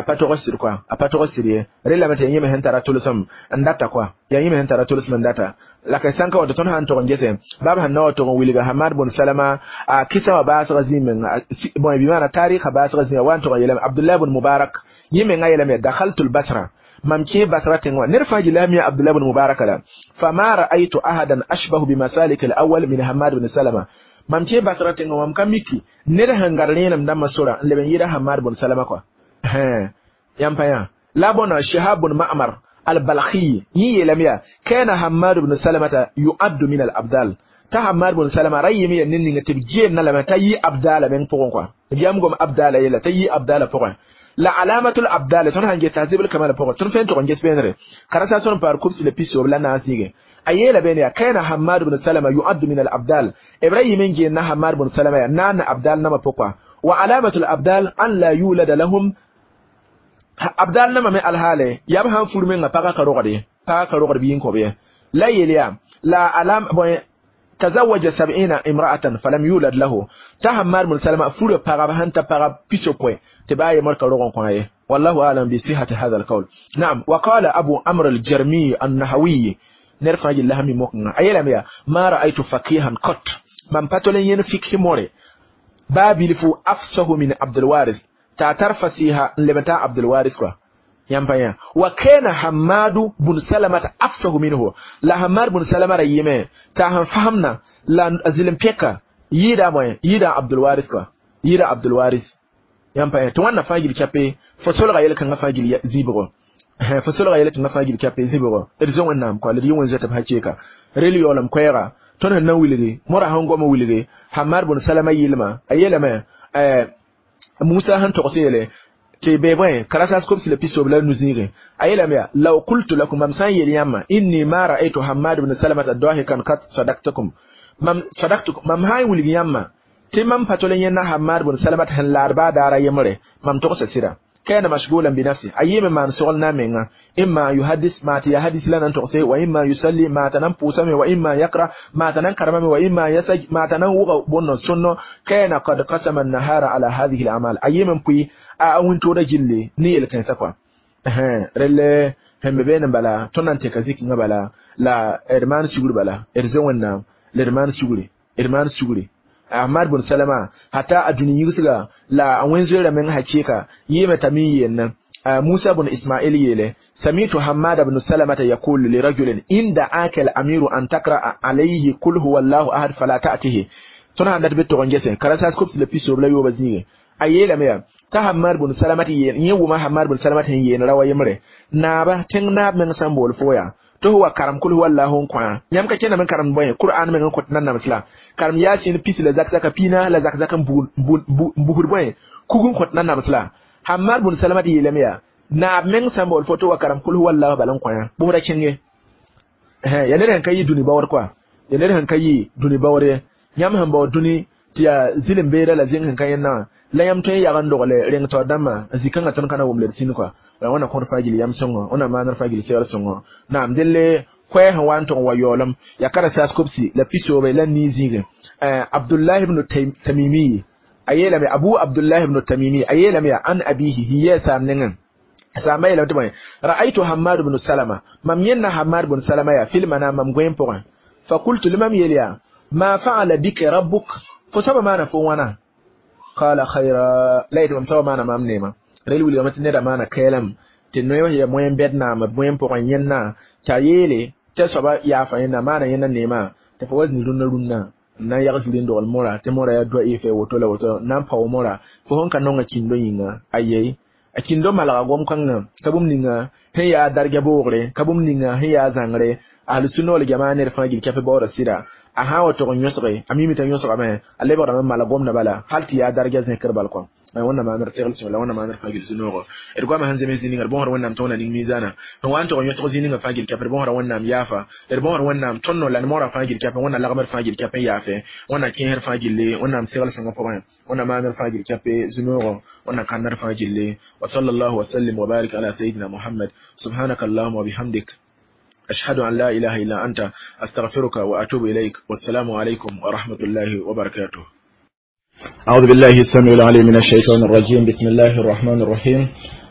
pato sir kwa pato sir relle mata yime hen tara tulusum ndata kwa ya yime hen tara tulusum ndata la kai sanka wa ton han to ngese bab han na to wiliga Hammad bin Salama a kisa wa bas razimin bon bi mana tarikh bas razim wa to yelam Abdullah bin Mubarak yime ngayela dakhaltu al-Basra mamke Basra tinwa nirfa jilami Abdullah bin Mubarak la fama ra'aytu ahadan ashbahu bi masalik al-awwal min Hammad bin Salama mamke Basra tinwa mam kamiki nir hangarne nam dam masura leben yida Hammad bin Salama kwa yampa ya labona Shihab bin Ma'mar al-Balkhi yi yelamya kana Hammad bin Salama yu'addu min al-abdal ta Hammad bin Salama rayimi ninni ngati na lama ta yi abdala men pokon kwa yam gom abdala yela ta yi abdala pokon la alamatul abdala ton hange tazibul kamal pokon ton fen to nges benere karasa son par kubsi le piso la na sige ayela ben ya kana Hammad bin Salama yu'addu min al-abdal ibrahim nge na Hammad bin Salama ya nana abdal nama pokwa Wa alamatul abdal an la yulada lahum abdal nama me alhale yab han furme nga paga ka rogde paga ka rogde biin ko be la yeliya la alam boy تزوج 70 امرأة فلم يولد له تهمار من سلمة فور paga hanta paga piso poe تباي مركا رغون كوايه والله أعلم بصحة هذا القول. نعم. وقال أبو أمر الجرمي النهوي نرفع الله من مكنا أيلم يا ما رأيت فقيها قط من باتولين ينفك موري بابلفو أفسه من عبد الوارث تعترف فيها لمتى عبد الوارث كوا ينبايا. وكان حماد بن سلمة أفسه منه لا حماد بن سلمة ريمه تاهم فهمنا لا زلم بيكا يدا موي يدا عبد الوارث كوا يدا عبد الوارث ينبايا توانا فاجل كابي فصول غيل كان فاجل زيبرو فصول غيل كان فاجل كابي زيبرو ارزون ونام كوا لدي وين زتب هاتشيكا ريليولم كويرا تون نان ويلغي مورا هانغوما ويلغي حماد بن سلمة يلما ايلما موسى هن تقسيله تي بيبوين كراساس كوبس لبيسو بلا نزيغي ايلما لو قلت لكم ممسان يليما اني ما رايت حماد بن سلمة الضاحكا قد صدقتكم مم صدقتكم مم هاي ويلغي يما تي مم باتولين ينا حماد بن سلمة هن لاربا دارا يمري مم تقسى سيرا كان مشغولا بنفسه أيما ما نسغلنا منه إما يحدث ما تيحدث لنا تقسي وإما يصلي ما تنم بوسمي وإما يقرأ ما تنم كرممي وإما يسج ما تنم وغ بون سنة كان قد قسم النهار على هذه الأعمال أيما بي أون تورا جلي نيل كان سكوا رل هم بين بلا تنان تكزيك بلا لا إرمان سجول بلا إرزونا لإرمان سجولي إرمان سجولي Ahmad bin Salama hata a duni yusga la wenzuera men hakika yema tamiyen Musa bin Ismail yele samitu Hammad bin Salama yaqulu li rajulin inda akal amiru an takra alayhi qul huwallahu ahad fala ta'tihi tona handat be to ngese karasa skop le piso la yoba zinge ayela meya ta Hammad bin Salama yen yewuma Hammad bin Salama yen rawa yemre naba ten nab men sambol foya to huwa karam kul huwallahu kwa yam ka kenan karam boye qur'an men ko nan namsla karam yasin pisi la zak zaka pina la zak zaka buhur boye kugun ko nan namsla Hammad bin Salama di yelemiya na men sambol foto wa karam kul huwallahu balan kwa buhura kinge ya ne han kai duni bawar kwa ya ne han kai duni bawre yam han baw duni tiya zilim bera la zin han kai na la yam to yagan dogole ring to dama zikan ga ton kana womle tin kwa la wana kon fagili yam songo ona manar fagili sewal songo naam delle kwe han wan to wa yolam ya kara sa skopsi la piso be la ni zige Abdullah ibn Tamimi ayela me Abu Abdullah ibn Tamimi ayela me an abihi hiya samnen samay la tuma ra'aytu Hammad ibn Salama mam yenna Hammad ibn Salama ya fil manam mam goyen poran fa qultu limam yeliya ma fa'ala bika rabbuk fo saba mana fo wana qala khayra la yidum saba mana mam nema rel wuli amati neda mana kelam te noyo ya moyen bedna ma moyen poran yenna ta yele te saba ya fa yenna mana yenna nema te fo wazni runna runna na yagsli ndol mora te mora ya dwa ife woto la woto nan pawo mora fo hon ka nonga kindo yinga ayey a kindo malaga gom kanga kabum ninga he ya darga bogre kabum ninga he ya zangre ahlu sunna wal jamaa ne fa gil kafe bawra sira a hawa to nyosre amimi ta nyosre me alle bawra mala gom na bala halti ya darga zin kerbal ko ay wonna ma nar tegel sala wonna ma nar fagil zunogo ergo ma hanze mezi ningar bon har wonnam tona ning mizana no wanto ko nyosre zininga fagil kafe bon har wonnam yafa er bon har wonnam tonno lan mora fagil kafe wonna lagmar fagil kafe yafe wonna kin her fagil le wonnam segel sango po wonna ma nar fagil kafe zunogo wonna kan nar fagil le wa sallallahu wa sallim wa barik ala sayyidina Muhammad subhanaka allahumma wa bihamdik أشهد أن لا إله إلا أنت أستغفرك وأتوب إليك والسلام عليكم ورحمة الله وبركاته. أعوذ بالله السميع العليم من الشيطان الرجيم. بسم الله الرحمن الرحيم.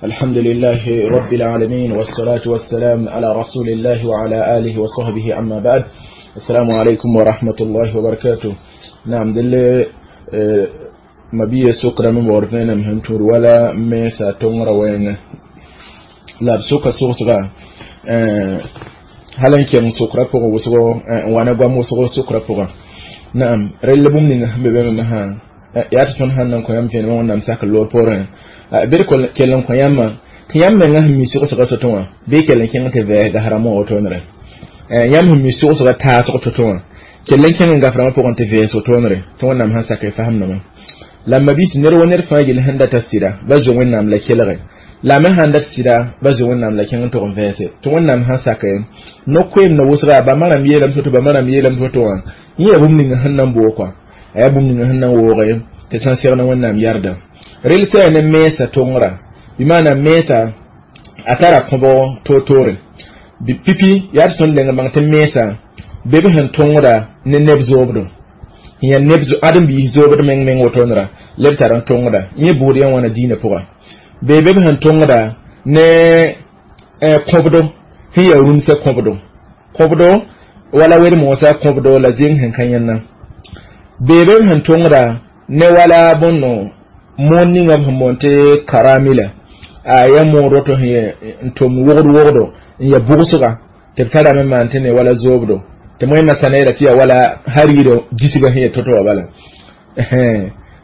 الحمد لله رب العالمين والصلاة والسلام على رسول الله وعلى آله وصحبه أما بعد. السلام عليكم ورحمة الله وبركاته. نعم دل مبيه سكرة من ورفين مهمتور ولا ميسا تمر وين لا بسوكة سوكة halan kem sokra pogo wosogo wana gwam wosogo sokra pogo naam relle bum ninga be be ma ha ya ta ton hannan ko yam fen won nam sak lor poren ber ko kellen ko yamma yam men nga mi soko soko to be kellen ken te ve ga haramo o to nre yam mi soko soko ta soko to to kellen ken ga faramo pogon te ve so to nre to nam han sak faham na ma lamma bis ner woner fagil handa tasira ba jo wonnam la kelere la me handa sira ba zo wonnam la ken to vese to wonnam han sake no kwem no wusra ba maram yelam to ba maram yelam to to ni bum ninga hannan bo kwa ay bum ninga hannan wo re Tɩ sã n segd Wẽnnaam yardã rel sã ne mensa tongrã bɩ maana mensa a tara kõbg toor-toore bɩ pipi yaa tɩ tõnd leng n bãng tɩ mensa be b sẽn tõngda ne neb zoobdo n yaa neb ãdem-biis zoobd meng meng wotondra la b tar n tõngda yẽ buud yã wãna diinã pʋga bee be b sẽn tõngda ne kõbdo sẽn yaa rũmsã kõbdo kõbdo wala wed moosã kõbdo la zeng sẽn ka yẽnna bee be b sẽn tõngda ne wala bõnno moon ninga b sẽn boond tɩ karamila a yaa mood woto sẽn n tʋm wogd wogdo n yaa bʋgsga tɩ b tarame n maan tɩ ne wala zoobdo tɩ wẽnna sã tɩ yaa wala hariirã gisga sẽn yaa to-to wã bala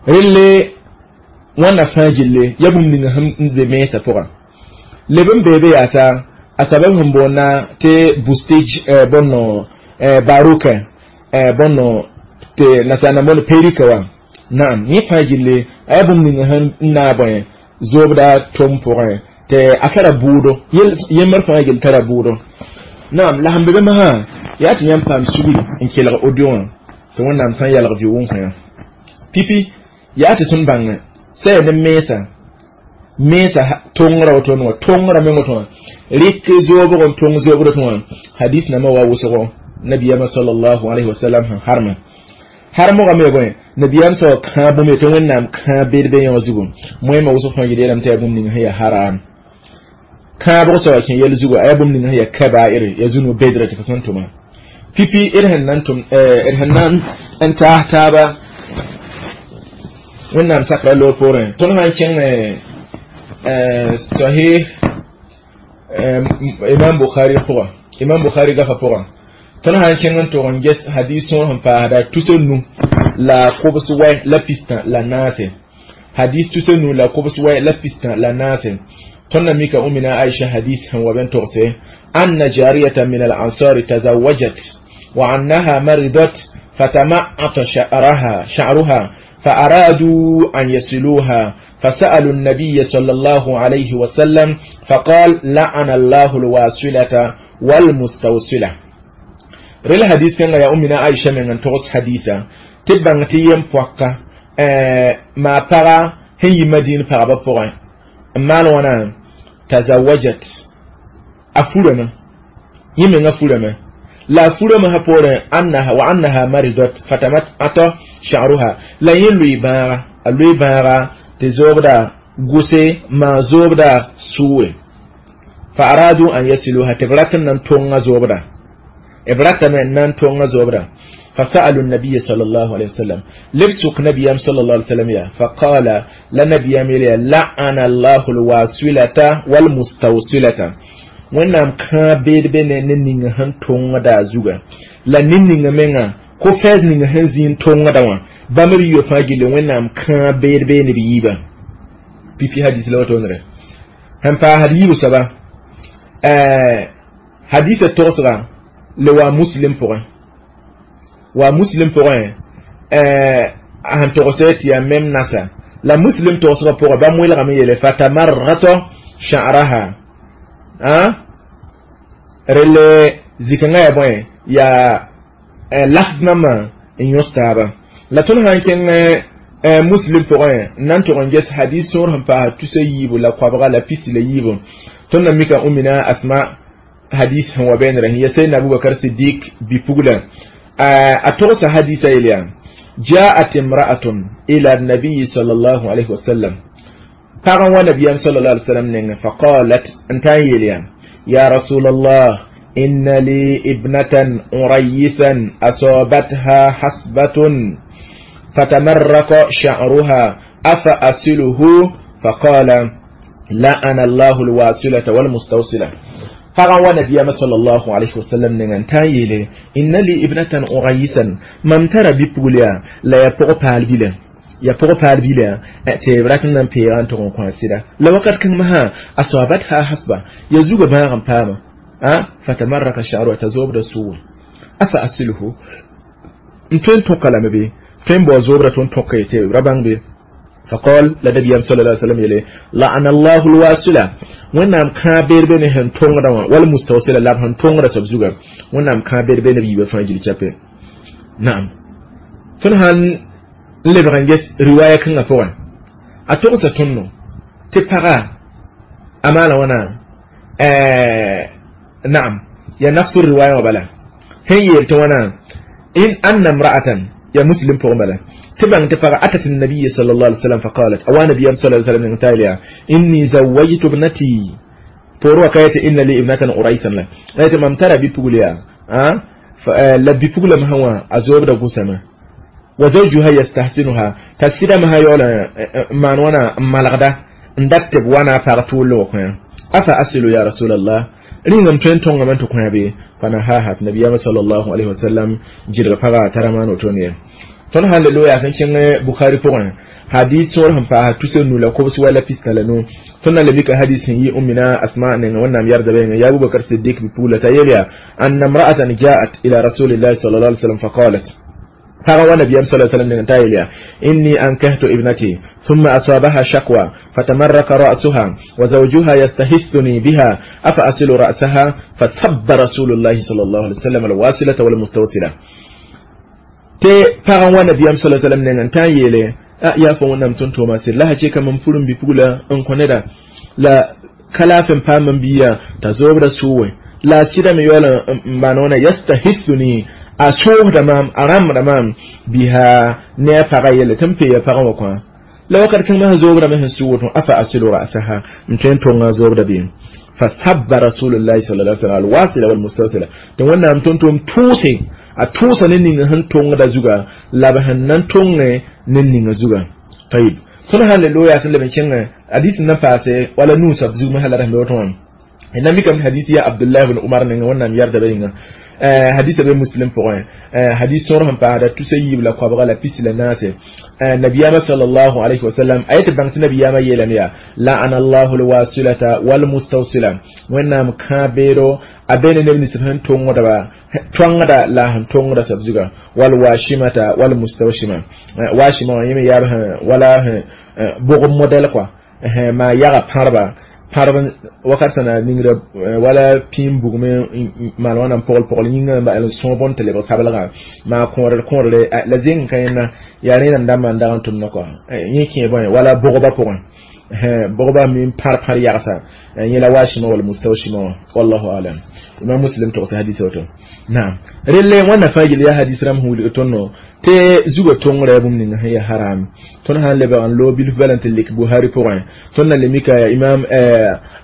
relle wãnna fãa gilli ya bũmb ninga sẽn be mensã pʋgã leb n beebe yaasa a soaba sẽn boonna tɩ bustig bõnno baruka bõnno tɩ nasaar boond perika wã naam yẽ fãa gilli a yaa bũmb ninga sẽn naag bõe zoobda tom pʋgẽ tɩ a tara bʋʋdo yembr fãa gill tara bʋʋdo naam la sẽn be be masã yaa tɩ yãmb paam sugri n kelg audio wã tɩ Wẽnnaam sã n yalg vɩ wʋn kõ pipi yaa tɩ tõnd bãng sã yaa ne mensa mensa tõngrã woto wã tõngrã meng woto wã rɩk zoobg n tõng zoobd woto wã hadis nambã wa wʋsgo nabiyama sallallahu alaihi wasallam sẽn harma harmgã me bõe nabiyaam sa wa kãab bũmb tɩ Wẽnnaam kãab bed be yã zugu moẽmã wʋsg fãa yel yeelame tɩ yaa bũmb ning sẽn yaa haram kãabg soaba kẽ yɛl zugu a yaa bũmb ning sẽn yaa kabair yaa zũnu bedra tɩ fo sẽn tʋma pipi d sẽn na n tʋm d sẽn na n taas taaba Wẽnnaam sakra loor poorẽ tõnd sã n kẽng sahih Imam Bukhari pʋgã Imam Bukhari gafa pʋgã tõnd sã n kẽng n tʋg n ges hadis sõor sẽn paasda tus-nu la kobs wɛ la pistã la naase hadis tus-nu la kobs wɛ la pistã la naase tõnd na mika umina Aisha hadis sẽn wa bẽn togse anna jariyatan min al-ansari tazawwajat wa annaha maridat fatama'ata sha'ruha فأرادوا أن يسلوها فسألوا النبي صلى الله عليه وسلم فقال لعن الله الواصلة والمستوصلة رل حديث كان يا أمنا عائشة من تغس حديثا تبان تيم بوكا ما بارا هي مدينة بارا بورا ما وانا تزوجت أفورما يمن أفورما لا فورما هبورا أنها وأنها مرضت فتمت أتو شعرها لا يلوي بارا لوي بارا تزوبدا غوسي ما زوبدا سوي فأرادوا أن يسلوها تبرتن نان تونغ زوبدا إبرتن نان تونغ زوبدا فسألوا النبي صلى الله عليه وسلم لبسوك نبي صلى الله عليه وسلم فقال لنبي لعن الله الواصلة والمستوصلة Wẽnnaam kãab beed be ne ning sẽn tõngda a zuga la ne ninga menga ko fɛɛs ninga sẽn zĩig n tõngda wã bãmb d yʋa fãa gilli Wẽnnaam kãab beed bee ne b yiibã pipi hadis la wotondre sẽn paasd yiib soaba hadisa togsga le wa Muslim pʋgẽ wa Muslim pʋgẽ a sẽn togsɛ tɩ yaa mem nasa la Muslim togsgã pʋgẽ bãmb welgame yeele fatamarrata sha'raha relle zikãngã yaa bõe yaa lafz nambã n yõs taaba la tõnd sã n kẽng Muslim pʋgẽ n na n tʋg n ges hadis sõor sẽn paas tusa yiibu la koabga la pisi la yiibu tõnd na mika Umina Asma hadis sẽn wa bẽenera sẽn ya Sayyidina Abubakar Siddiq bipugla a togsa hadisa yel yaa jaat imra'atun ila nabiyi sallallahu alaihi wasallam pagã wa nabiyam sallallahu alaihi wasallam nengẽ faqalat n tã n yel yaa ya rasulallah inna li ibnatan urayisan asabatha hasbatun fatamarraqa sha'ruha afa asiluhu faqala la'ana allahu alwasilata walmustawsila pagã wa nabiyama sallallahu alaihi wasallam nengẽ n tã n yeele inna li ibnatan urayisan mam tara bipugl yaa la ya pʋg paal bila ya pʋg paal bila tɩ b rat n na n peega n tʋg n kõ a sɩda la wakat kãng masã asabatha hasba ya zugã bãag n paama fatamarraka sha'ruha t'a zoobda sʋʋre afa asiluhu n tõe n tõka lame bɩ tõe n bao zoobda tɩ n tõka tɩ ra bãng bɩ فقال لنبي صلى الله عليه وسلم يلي لعن الله الواصلة وإنام كان بير بين هن تونغرا والمستوصلة لا هن تونغرا سبزوغا وإنام كان بير بين بيبا فانجل تشابي نعم فنهان N lebg n ges riwaya kãngã pʋgẽ a togsa tõndo tɩ paga a maana wãna naam ya nafsu riwaya wã bala sẽn yeel tɩ wãna in anna imra'atan ya muslim pʋgẽ bala tɩ bãng tɩ paga atat nabiy sallallahu alaihi wasallam faqalat awa nabiyam sallallahu alaihi wasallam t'a yeela inni zawwajtu ibnati poor wa ka yetɩ inna li ibnatan uraisan la yetɩ mam tara bipugl yaa la bipugla masã wã a zoobda gʋsame wa zawjuha yastahsinuha t'a sɩda masã yaool n maan wãna n malgda n dat tɩ b wa na a pag tʋʋl wa kõ afa asilu ya rasulallah rĩngame tõe n tõngame tɩ kõ be fanahaha tɩ nabiyaamã sallallahu alaihi wasallam gɩdg pagã tara maan woto ne tõnd sãn le loe yaa sẽn kẽng Bukhari pʋgẽ hadis sõor sẽn paasa tusa nu la kobs wa la pista la nu tõnd na le mika hadis sẽn yi ummina Asma nenga Wẽnnaam yarda ba yẽnga ya Abubakar Siddiq bipugla t'a yeel yaa anna imra'atan ja'at ila rasulillahi sallallahu alaihi wasallam faqalat paga wa nabiyam sallallahu alaihi wasallam nenga t'a yeel yaa inni ankahtu ibnati ثم أصابها شكوى فتمرق رأسها وزوجها يستهثني بها أفأصل رأسها فسب رسول الله صلى الله عليه وسلم الواصلة والمستوصلة tɩ pagã wa nabiyaam sa sallam nengã n tã n yeele a yaa fo Wẽnnaam tʋm-tʋʋma sɩd la sã ka mam fulum bipugla n kõ neda la ka laafɩ n paam mam biiyã t'a zoobda sʋʋge la a sɩdame yaool n maan wãna yastahithuni a soosda maam a rãmbda maam biha ne a pagã yelle tɩ m peeya pagã wã kõ la wakat kãngã sẽn zoobdame sẽn sʋ woto afa asilu ra'saha n tõe n tõnga zoobda bɩ fasabba rasulullahi sallallahu alaihi wasallam alwasila walmustawsila tɩ Wẽnnaam tʋm-tʋʋm tʋʋse a tʋʋsa ne ning sẽn tõngda zuga la b sẽn na n tõngẽ ne ninga zuga tayib tõnd sãn le loog yaa sẽn leb n kẽngẽ hadis n na paase wala nuusab zug masã la rasẽn woto wã na mikame hadis ya Abdullah ibn Umar ninga Wẽnnaam yarda ba yĩnga hadisa be Muslim pʋgẽ hadis sõor sẽn paasda tusa yiib la koabga la pis la naase nabiyama sallallahu alayhi wasallam a yetɩ bãng tɩ nabiyaamã yeelame yaa la'ana allahu lwasilata walmustawsila Wẽnnaam kãa-beedo a be ne neb nins sẽn tõngdba tõngda la sẽn tõngda soab zuga walwashimata walmustawshima washima wã yẽ me yaa wala bʋgb modɛl kɔa maa yaga pãrba pãrb wakat sẽn na ningra wala pĩim bugme maan wãna n pogl pogl yĩngã n n sõo bõn tɩ lebg sablgã maa kõodr kõodre la zeng ka yẽnna yaa rẽnam dãmbã n dag n tʋmna kɔa yẽ kẽ bõe wala bʋgba pʋgẽ bʋgba me pãr pãr yagsa yẽ la washima wala mustawshima wã wallahu alam Imam Muslim togsa hadis woto naam relle wãnna fãa yel yaa hadis rãmb sẽn wilg tõndo tɩ zugã tõngrã bũmb ninga sẽn yaa haram tõnd sãn lebg n loog bilf bala n tɩ lik Buhari pʋgẽ tõnd na le mika ya Imam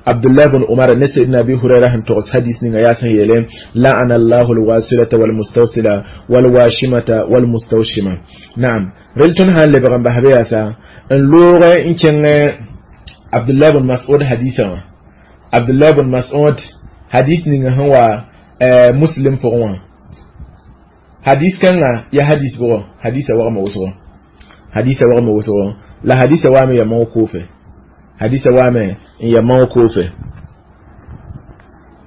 Abdullah bn Umar ne Sayyidina Abi Huraira sẽn togs hadis ninga yaa sẽn yeele la'ana allahu alwasilata walmustawsila walwashimata walmustawshima naam rel tõnd sãn lebg n bas be yaasa n loog n kẽng Abdullah bn Mas'ud hadisã wã Abdullah bn Mas'ud hadis ninga sẽn wa Muslim pʋgẽ wã hadis kãngã ya hadis bʋgɔ hadisa wagma wʋsgo hadisa wagma wʋsgo la hadisa waame ya mawqufe hadisa waame n ya mawqufe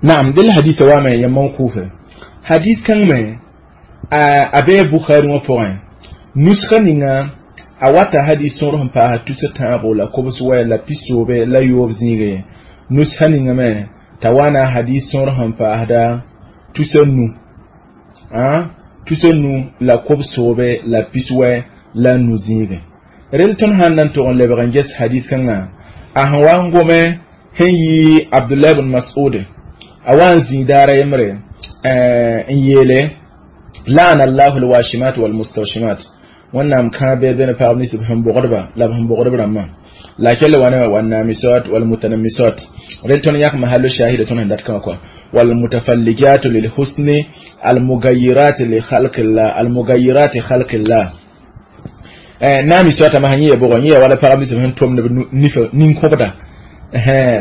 naam del hadisa waame ya mawqufe hadis kãng me a bee Bukhari wã pʋgẽ nuska ninga a wata hadis sõor sẽn paasa tusa tãabo la kobs wɛ la pisoobe la yoob zĩige nuska ninga me t'a wa na hadis sõor sẽn paasda tusa nu tusa nu la kobsoobe la piswɛ la nu zĩige rel tõnd sãn na n tʋg n lebg n ges hadis kãngã a sẽn wa n gome sẽn yi Abdullah bn Mas'ud a wa n zĩig daara yembre n yeele la'ana allahu alwashimat walmustawshimat Wẽnnaam kãa beed ne pagb nins b sẽn bogdba la b sẽn bogdb rãmbã la kell wa wannamisat walmutanammisat rel tõnd yãk mahallo shahida tõnd sẽn dat kãwã kɔa walmutafallijat lilhusni almugayirat li khalqillah almugayirat khalqillah naamisata masã yẽ ya bʋgɔ yẽ ya wala pagb nins b sẽn tʋmd b nifã nin-kõbda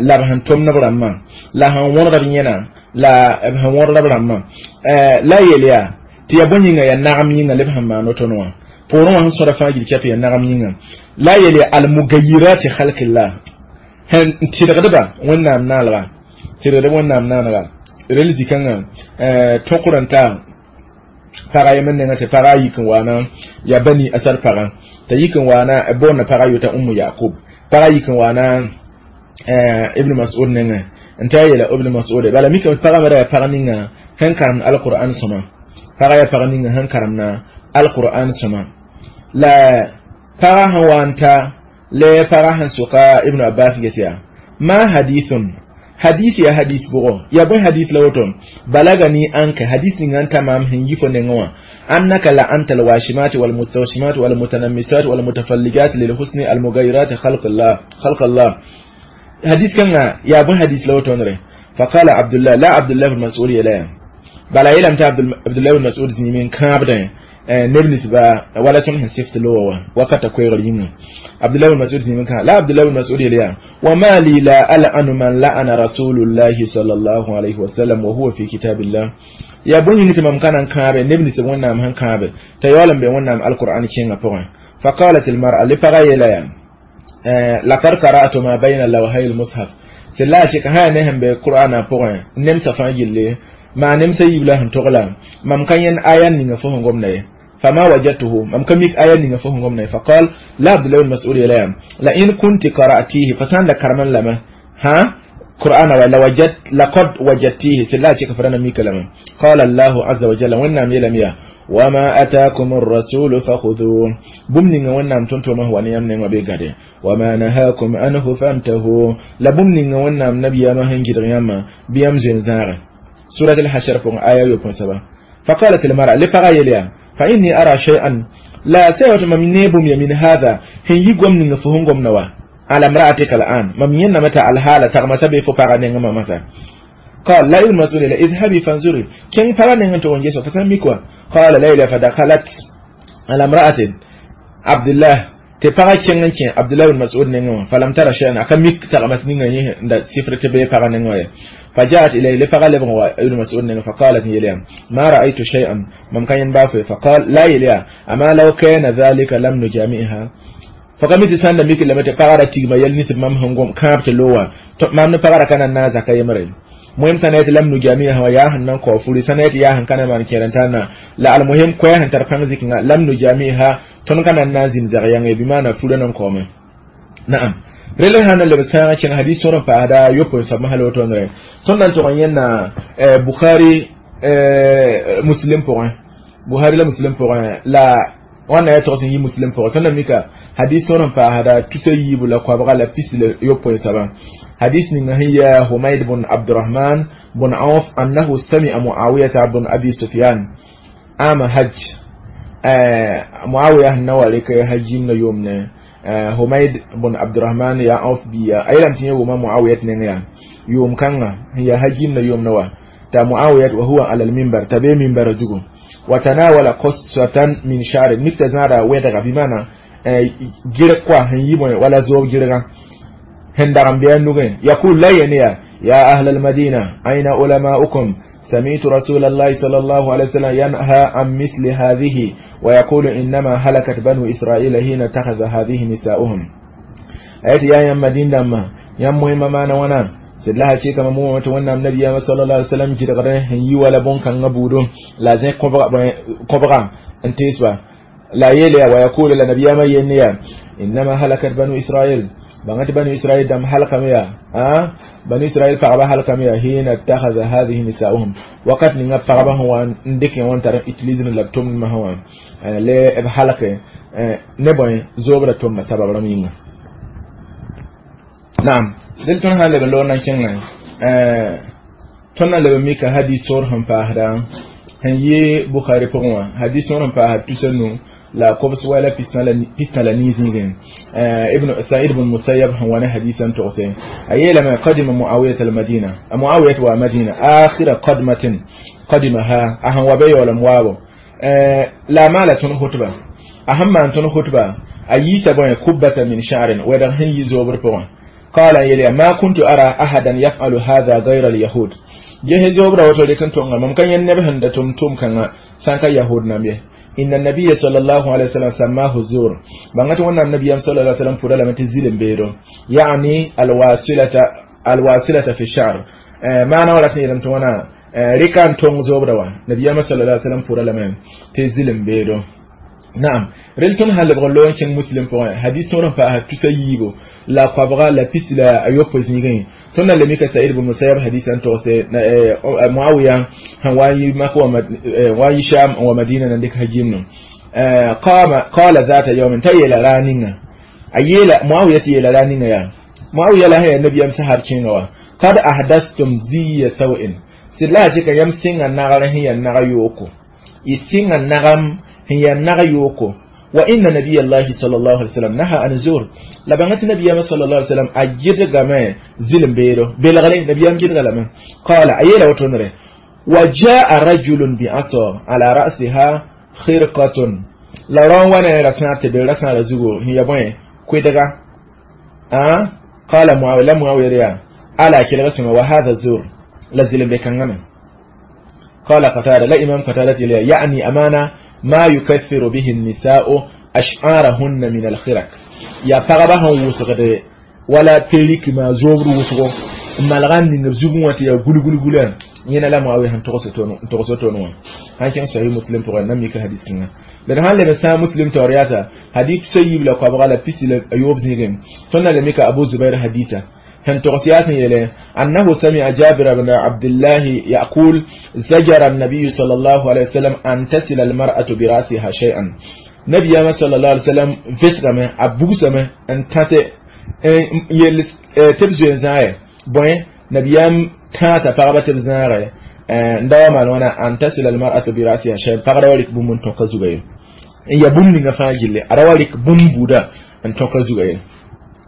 la b sẽn tʋmd b rãmbã la sẽn wõrd b yẽna la b sẽn wõrd b rãmbã la yel yaa tɩ ya bõe yĩnga yaa nagem yĩnga leb sẽn maan woto wã poorẽ wã sẽn sõda fãa gil tɩ yaa nagem yĩnga la yel yaa almugayirati khalqillah sẽn tɩrgdba Wẽnnaam naalga tɩrgdb Wẽnnaam naanega rel zĩ-kãngã tõkr n ta paga yemb nenga tɩ paga yik n waana ya Bani Asad pagã t'a yik n waana boonda paga yota Ummu Yakub paga yik n waana Ibn Mas'ud nengẽ n ta yeela Ibn Mas'ud bala mikame pagã me ra yaa pag ninga sẽn karemd alqur'an sõma paga yaa pag ninga sẽn karemda alqur'an sõma la Paga sẽn wa n ta le paga sẽn soka Ibn Abbas ges yaa ma hadithun hadith ya hadith bʋgɔ ya bõe hadith la woto balagani anka hadith ninga n ta maam sẽn yi fo nengẽ wã annaka la anta alwashimat walmustawshimat walmutanammisat walmutafallijat lilhusni almugayyirat khalq Allah hadith kãnga yaa bõe hadith la woto re. فقال عبد الله لا عبد الله بن مسعود يلا بلا يلم تا عبد الله بن مسعود زيمين كابدا نبني با ولا تم سفت لو وقت كوير يمو عبد الله بن مسعود زيمين كان لا عبد الله بن مسعود يلا وما لي لا ألعن من لعن رسول الله صلى الله عليه وسلم وهو في كتاب الله يا بني نتمم كان كابه نبني سبونا مهن كابه تيولم بي القرآن كينغا بوين. فقالت المرأة لفغايلا لقد قرأت ما بين لوحي المصحف سلا شك ها نهم بالقرآن بوين نمسا فاجل ما نمسا يبلا هم تغلا مم كان آية نيغا فهم غمنا فما وجدته مم كميك آية نيغا فهم غمنا. فقال لا عبد الله بن مسعود يلا لئن كنت قرأتيه فسان لكرمان لما ها قرآن ولا وجدت لقد وجدتيه سلا شك فرنا ميك لما. قال الله عز وجل ونام يلميا وما أتاكم الرسول فخذوه بمنين ونام تنتو ما هو نيام نيم بيغادي وما نهاكم عنه فانتهوا لبمنين ونام نبي ما هنجر ياما بيام زنزار سورة الحشر فون آية يوبون سبا. فقالت المرأة لفغايليا فإني أرى شيئا لا سيوت ممنيبم يمين هذا هن يقوم نفهنغم نوا على امرأتك الآن ممين متى الحالة تغمسبي فقا نيم مثلا. قال لا ابن مسعود اذهبي فانظري كن فلان انت ونجيسو فسميكوا. قال ليلى فدخلت على امرأة عبد الله تبقى كن عبد الله بن مسعود نينو فلم ترى شيئا اكمك تغمس نينو عند سفر تبي فغا نينو. فجاءت اليه لفغا لبن ابن مسعود نينو فقالت يليا ما رأيت شيئا ممكن ينبافي. فقال لا يليا اما لو كان ذلك لم نجامعها. فقامت سان ميك لما تبقى تيغما يل نسب مام هنغوم كابت لوا مام نبقى كان نازا كيمرين مهم سنة لم نجامعها ويا هن كوفوري سنة يا هن كان مان كيرنتانا لا المهم كوي هن ترفان زكنا لم نجامعها تون كان نازم زغيان بمعنى فولن كوم. نعم رله هن اللي بسان كان حديث سورة فهذا يوبو سمها لو تون تون نان تون بخاري مسلم بوين بخاري لا مسلم بوين لا وانا يتوسن يي مسلم بوين تون ميكا حديث سورة فهذا تسيب لا كوبغا لا بيس يوبو سبا. حديث من هي حميد بن عبد الرحمن بن عوف أنه سمع معاوية بن أبي سفيان عام حج معاوية نوالك حجين يومنا حميد بن عبد الرحمن يا عوف بيا أيضا تنيو معاوية نيا يوم كان هي حجين يوم نوا تا معاوية وهو على المنبر تبي منبر زوجو وتناول قصة من شعر نكتزارا ويدغ بمعنى جرقوا هنيبون ولا زوج جرقا هندرم بأنه يقول لا ينيا يا أهل المدينة أين علماؤكم سمعت رسول الله صلى الله عليه وسلم ينهى عن مثل هذه ويقول إنما هلكت بنو إسرائيل حين اتخذ هذه نساؤهم. أيت يا مدينة ما يا مهم ما نوانا سلاها شيء كما مو متونا النبي صلى الله عليه وسلم جرغره يي ولا بون كان غبودو لازم كبرا انتسوا لا يلي ويقول للنبي ما ينيا إنما هلكت بنو إسرائيل بغت بني إسرائيل دم حلقة ميا بني إسرائيل فعبا حلقة ميا حين اتخذ هذه نساؤهم وقت نيغا فعبا هو ندك وان ترى اتليزن لابتوم ما هو لا بحلقة نبوي زوبرة توم سبب رمينا. نعم دلتون هالي بلونا كنا تونا لبميكا هدي صورهم فاهدا هني بخاري بقوا هدي صورهم فاهد تسنو لا قبس ولا بيسنا لنيزين ابن سعيد بن مسيب هو حديثا تغسي أي لما قدم معاوية المدينة معاوية ومدينة آخر قدمة قدمها أهم وبي ولا موابو لا مالة خطبة أهم أن خطبة أي سبع كبة من شعر ودرهن يزوبر بوان. قال يلي ما كنت أرى أحدا يفعل هذا غير اليهود جه زوبر وتولي كنت ممكن ينبهن دتم كان سانك يهود نبيه إن النبي صلى الله عليه وسلم سماه الزور بانغت وانا النبي صلى الله عليه وسلم فولا لما تزيل بيرو يعني الواصلة في الشعر ما أنا ولا سنة توانا ريكان تون زوبروا النبي صلى الله عليه وسلم فولا لما تزيل بيرو. نعم ريلتون هل بغلون كان مسلم فوق حديث تون فا تسيبو لا قبغا لا بيس لا ايوب زيغين تون لميك سعيد بن مسيب حديث ان توسي معاويه هواي مكو واي شام ومدينه عندك هجيمن قال ذات يوم تيلا رانينا أيلا معاوية يلا رانينا يا معاوية لها يا النبي أمسحر كينوا قد أحدثتم زي سوء سلاجك يمسين النغر هي النغر يوكو يسين النغم هي النغر يوكو وإن نبي الله صلى الله عليه وسلم نهى عن الزور لبنت نبي صلى الله عليه وسلم أجد غما زلم بيرو بلغلي نبي أم جد غلما قال أيلا وتنره وجاء رجل بعصا على رأسها خرقة لران وانا رسنا تبير رسنا رزقو هي بوين كويدغا قال معاوية لا معاوية على كلا رسمه وهذا الزور لزلم بكنغما قال قتادة لا إمام قتادة يعني أمانة ما يكثر به النساء أشعارهن من الخرق يا فغبهم وسغد ولا تلك ما زوبر وسغو مالغان نزوغو واتي يا غولو غولو غولان ينا لا معاوية هم تغسطونو هان صحيح مسلم تقول نمي كحديث كنا لأن هان لما مسلم تورياتا حديث سيب لك وابغى بيسي أيوب زيغم فنا لميك أبو زبير حديثة هم تغسيات يلي أنه سمع جابر بن عبد الله يقول زجر النبي صلى الله عليه وسلم أن تسل المرأة برأسها شيئا نبي صلى الله عليه وسلم فسرمه أبوسمه أن تاتي يل تبزو زاي بوين نبي تاتا فغبة تبزناره ndawama wana an tasila almar'atu bi ra'siha shay'an fagara bum mun toka zugaye ya bum ni ngafa gille arawalik bum buda an toka zugaye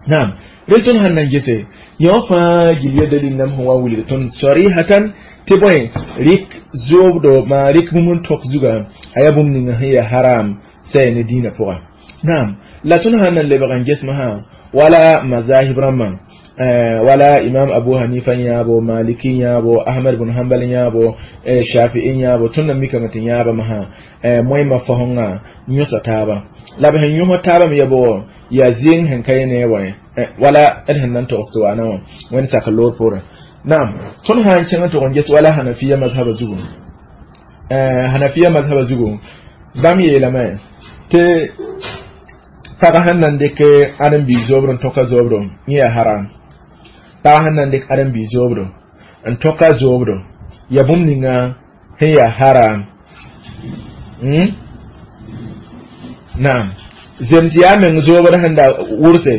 naam relton hannan gese yo fa gille dalil nam huwa wuli ton sarihatan te boy rik zobdo ma rik bum mun tok zuga aya bum ni ngahiya haram sai ne dina fuga naam la ton hannan le bagan gesma wala mazahib ramman wala imam abu hanifa yabo maliki yabo ahmad bin hanbal yabo shafi'i yabo tunnan mika matin yaba maha moy ma fahonga nyusa taba laba hen yuho taba mi yabo ya zin hen kai ne wai wala en nan to to ana wani sakalor fora na'am tun han cin to gonje wala hanafiya mazhaba zugu hanafiya mazhaba zugu bam yela mai te paga hannan de ke adam bi zobron toka zobron ya haram paga hannan de adam bi zobron en toka zobron ya bum ninga he ya haram na'am zemtiya men zobron handa wurse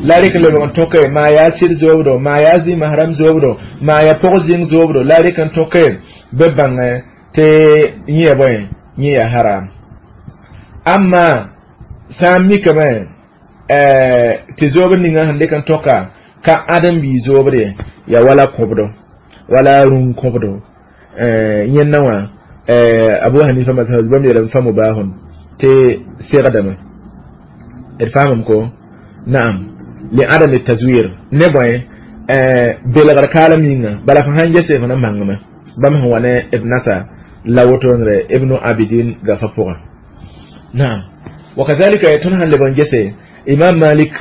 lari kan lobon toka ma ya sir zobro ma ya zi mahram zobro ma ya pogzin zobro lari kan toka bebang te nyiya boy nyiya haram amma sami kama te zobre ninga hande kan toka ka adam bi zobre ya wala kobdo wala run kobdo yen nawa abu hanifa mazhab bam yela famu bahun te sigadama irfamum ko na'am li adam tazwir ne boy belagar kalam ninga bala fa hanje se fa mangama bam hawane ibnasa lawotonre ibnu abidin gafafuga na'am وكذلك يتنهى لبنجسي إمام مالك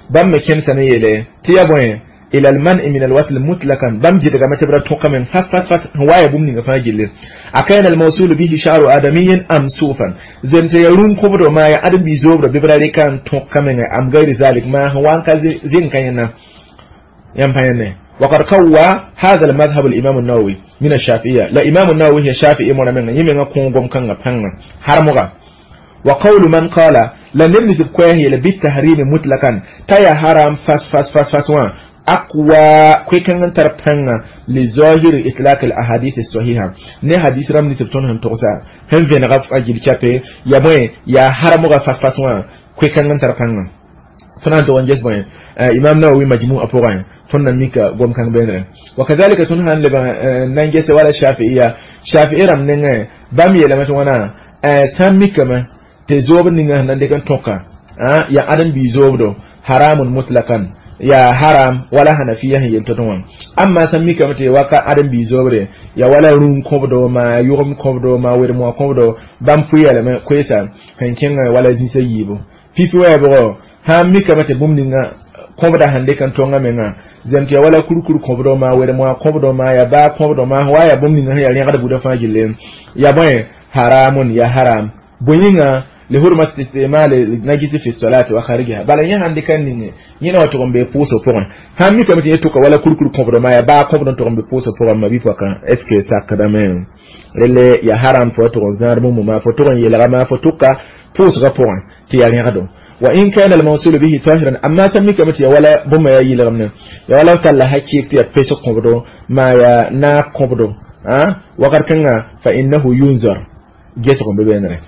بام كم سنة يلي تيابوين إلى المنع من الوصل مطلقا بام جد كما تبرا توقع من فس فس فس هو يبوم نيغا فاجل أكان الموصول به شعر آدمي أم صوفا زم تيرون كبرو ما يأدم بيزوبر ببرا كان توقع من أم غير ذلك ما هو أنك زين كينا ينفعنا وقد قوى هذا المذهب الإمام النووي من الشافعية لا إمام النووي هي شافعي مونا من يمين كونغوم كان بانغ هرمغا وقول من قال لا نرمز بكواه بالتحريم مطلقا تايا حرام فاس فاس فاس فاس وان أقوى كويكن تربان لظاهر إطلاق الأحاديث الصحيحة نه حديث رمني تبتون هم تغسى هم فين غف أجل كابي يا بوين يا حرام فاس فاس وان كويكن تربان فنان دوان جس بوين إمام نووي مجموع أبوغان فنان ميكا قوم كان بينرن وكذلك تنهان لبا نانجس ولا شافعية شافعي رمنين بامي لما توانا سامي كما te zob ninga nan de kan toka ya adam bi zobdo haramun mutlaqan ya haram wala hanafiya hin to ton amma san mi kamate waka adam bi zobre ya wala run kobdo ma yugum kobdo ma wer mo kobdo bam fuyala me kwesa kan kinga wala jinse yibo fifi wa bo ha mi kamate bum ninga kobda hande kan tonga menga zemti ya wala kurkur kobdo ma wer mo kobdo ma ya ba kobdo ma wa ya bum ninga ya ri ngada buda fa gille ya boy haramun ya haram bonyinga Li hurmati istimal najisi fi salati wa kharijiha bala yẽ sãn dɩka ninge yẽ na wa tʋg n be pʋʋsg pʋgẽ sãn mikame tɩ yẽ tʋka wala kurkur kõbdo maa ya baa kõbd n tʋg n be pʋʋsg pʋgẽ ma bi-poakã est ce que sakdame relle ya haram fo tʋg n zãad bũmb maa fo tʋg n yeelga maa fo tʋka pʋʋsgã pʋgẽ tɩ ya rẽgdo. Wa in kana al-mawsul bihi tahiran, amma san mikame tɩ ya wala bũmba ya yɩlgemne ya wala talla hakik tɩ ya pes kõbdo maa ya naab kõbdo wakat kãnga fa innahu yunzar gesg n be beenre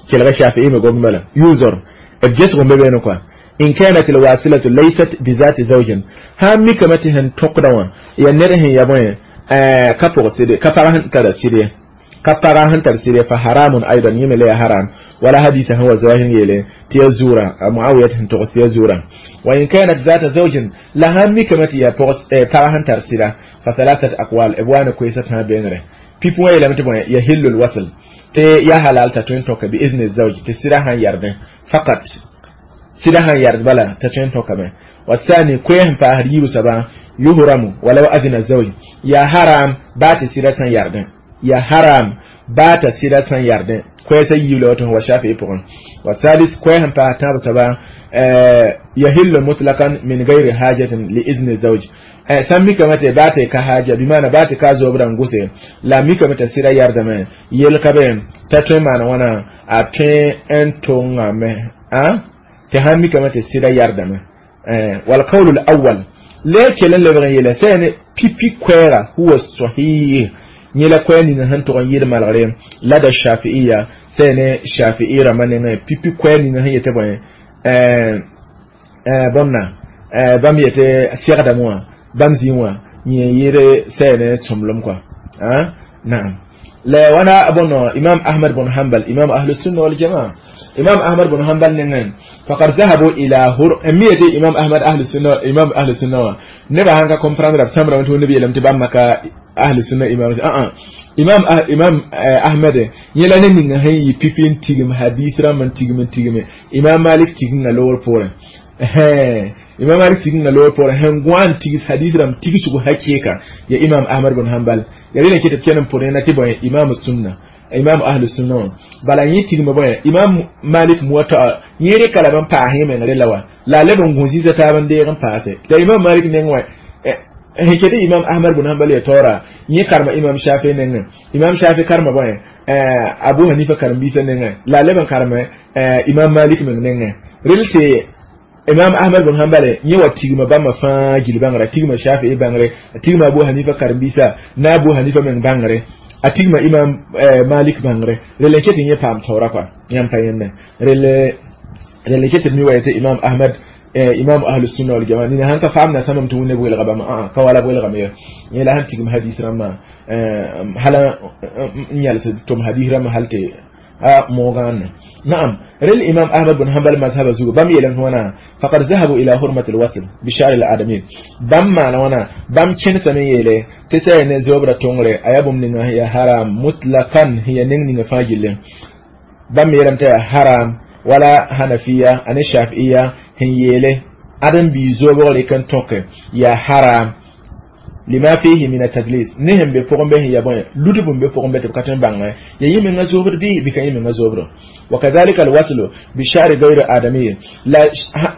kelga Shafi'i me gom bala yunzar b gesg n be beene quoi. In kanat alwasilatu laysat bizati zawjin, ha mikame tɩ sẽn tõkda wã ya ned sẽn ya bõe ka pʋg sɩd ka pag sẽn tara sɩd ka paga sẽn tar sɩd fa haramun aidan yẽ me la ya haram wala hadisa sẽn wa zoa sẽn yeele tɩ ya zuurã Muawiyat sẽn togs tɩ ya zuurã. Wa in kanat zata zawjin, la sãn mikame tɩ ya paga sẽn tar sɩda fa thalathat aqwal b wa ne koeesa tãa bengre pipi wã yeelame tɩ bõe yahillu lwasl tɩ ya halal t'a tõe n tõka bi izni zawj tɩ sɩda sãn yardẽ faqat sɩda sãn yard bala t'a tõe n tõkame. Wasani koe sẽn paasd yiibu soaba yuhramu walaw adina zawj ya haram baa tɩ sɩda sãn yardẽ ya haram baa t'a sɩda sãn yardẽ koɛɛsã yiib la woto wa Shafii pʋgẽ. Wa salis koɛɛ sẽn paas tãab soaba yahillu mutlakan min gayri hajatin li izni zawj sãn mikame tɩ baa tɩ ka haja bɩ maana baa tɩ ka zoobdã n gʋse la mikame t'a sɩda yardame yel ka be t'a tõe n maan wãna a tõe n tongame tɩ sãn mikame tɩ sɩda yardame. Walqawlu lawal le kell n lebg n yeela sã ne pipi koɛɛga huwa sahih yẽ la koɛɛ ning sẽn tʋg n yɩɩd malgre lada Shafiiya sã ne Shafi'i rãmbã nengẽ pipi koɛɛ ning sẽn yetɩ bõe bõmna bãmb yetɩ segdame wã bãmb zĩ wã yẽ yɩɩd sã ne sõmblem kɔa. Naam la wana bõno Imam Ahmad bn Hanbal imam ahlu sunna wal jamaa Imam Ahmad bn Hanbal nengẽ faqad zahabu ila hur mi yetɩ Imam Ahmad ahlu sunna imam ahlu sunna wã nebã sãn ka comprendre b sãmbrame tɩ wẽnd b yeelame tɩ bãmb maka ahlu sunna imam imam Ahmad yẽ la ne ninga sẽn yɩ pipi n tigim hadis rãmb n tigim n tigime Imam Malik tigingã loogr poorẽ Imam Malik tigingã loogr poorẽ sẽn gõ n tigs hadis rãmb tigsgo hakɩɩka ya Imam Ahmad bn Hanbal ya rẽna ket b kẽn n pʋdẽ na tɩ bõe imam sunna imam ahlu sunna wã bala yẽ tigma bõe Imam Malik muwata yẽ rɩka lame n paas yẽ meng rela wa la a leb n gũ zĩisa taab n deeg n paase t'a Imam Malik neng wã sẽn ket Imam Ahmad bn Hanbal ya taoora yẽ karema Imam Shafi nengẽ Imam Shafi karema bõe Abu Hanifa karen-biisã nengẽ la a leb n kareme Imam Malik meng nengẽ rel tɩ Imam Ahmad bn Hanbal yẽ wa tigma bãmba fãa gil bãngrã tigma Shafii bãngre a tigma Abu Hanifa karen-biisã na Abu Hanifa meng bãngre a tigma Imam Malik bãngre rel n ket n yẽ paam taoora kɔa yãmb pa yẽnde rel n ket d mi wa yetɩ Imam Ahmad imam ahlu sunna wal jamaa nina sãn ka faam na sãmam tɩ wẽnde welga bãmb ka wala b welgame ye yẽ la sẽn tigm hadis rãmbã hala n yals tʋm hadis rãmbã hal tɩ a moogãanne. Naam rel Imam Ahmad bn Hanbal mazhaba zugu bãmb yeelame wãna faqad zahabu ila hurmat alwasl bishar aladamin bãmb maana wãna bãmb kẽnesame yeele tɩ sã ya ne zoobra tõngre a yaa bũmb ninga ya haram mutlakan ya neng ninga fãa gilli bãmb yeelame tɩ ya haram wala Hanafiya ane Shafiiya sẽn yeele ãdem-biig zoobg rɩk n tõke ya haram lima fihi min atadlis ne sẽn be pʋgẽ be sẽn ya bõe ludb n be pʋgẽ be tɩ b ka tõe n bãngẽ ya yẽ menga zoobd bɩ bɩ ka yẽ menga zoobdo. Wa kadhalika alwaslu bi sha'ri gayri adamiyin la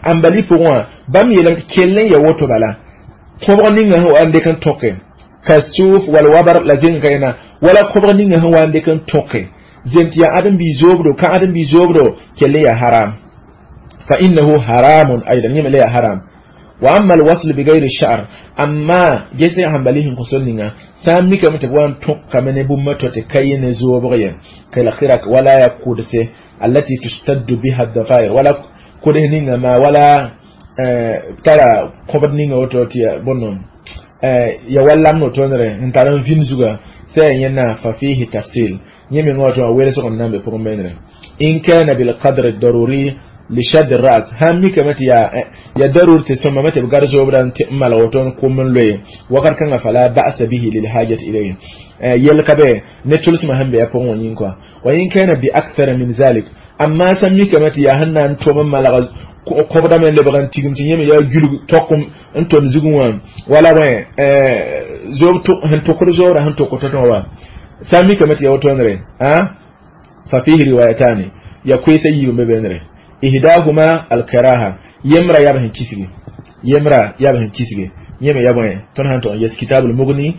ãmbali pʋgẽ wã bãmb yeelame tɩ kell n ya woto bala kõbg ninga sẽn wa n dɩk n tõke kasuf walwabar la zẽng ka yẽna wala kõbg ninga sẽn wa n dɩk n tõke zem tɩ yaa ãdem-biig zoobdo ka ãdem-biig zoobdo kell n ya haram fa innahu haramun aidan yẽ me la ya haram. Wa amma alwasl bigayri sha'r amma gese hambali hin kusur ninga sã n mikame tɩ b wa n tõkame ne bũmba to tɩ ka yẽ ne zoobg ye kalkhirak wala ya kudse allati tustaddu biha dafair wala kuds ninga ma wala tara kõbd ninga woto tɩ ya bõn ya wall lamd wotonere n tar n vĩn zuga sã ya yẽnna fa fihi tafsil yẽ meng woto wã welsg n na n be pʋgẽ beenre in kana bilqadr daruri lishad ras han mikame tɩ ya darur tɩ sõmame tɩ b gar zoobdã n malg woto n kʋm n loe wakat kãngã fala ba'sa bihi lilhajat ilayhi yel ka be ne tʋlsmã sẽn be ya pʋgẽ wã yĩng kɔa wa in kana bi akthara min zalik amma sã mikame tɩ yaa sẽn na n tʋm n malg kõbdame n lebg n tigim tɩ yẽme yaa gilg tɔk n tom zugẽ wã wala bõe zoob sẽn tʋkd zoobdã sẽn tʋk tõ wa sã n mikame tɩ ya wotonere fa fihi riwayatani. Ya koeesa yiib n be bẽndre. Ihdahuma alkaraha, yembra yaa b sẽn kisgi, yembra yaa b sẽn kisgi yẽme ya bõe. Tõnd sãn tog n ges Kitabul Mugni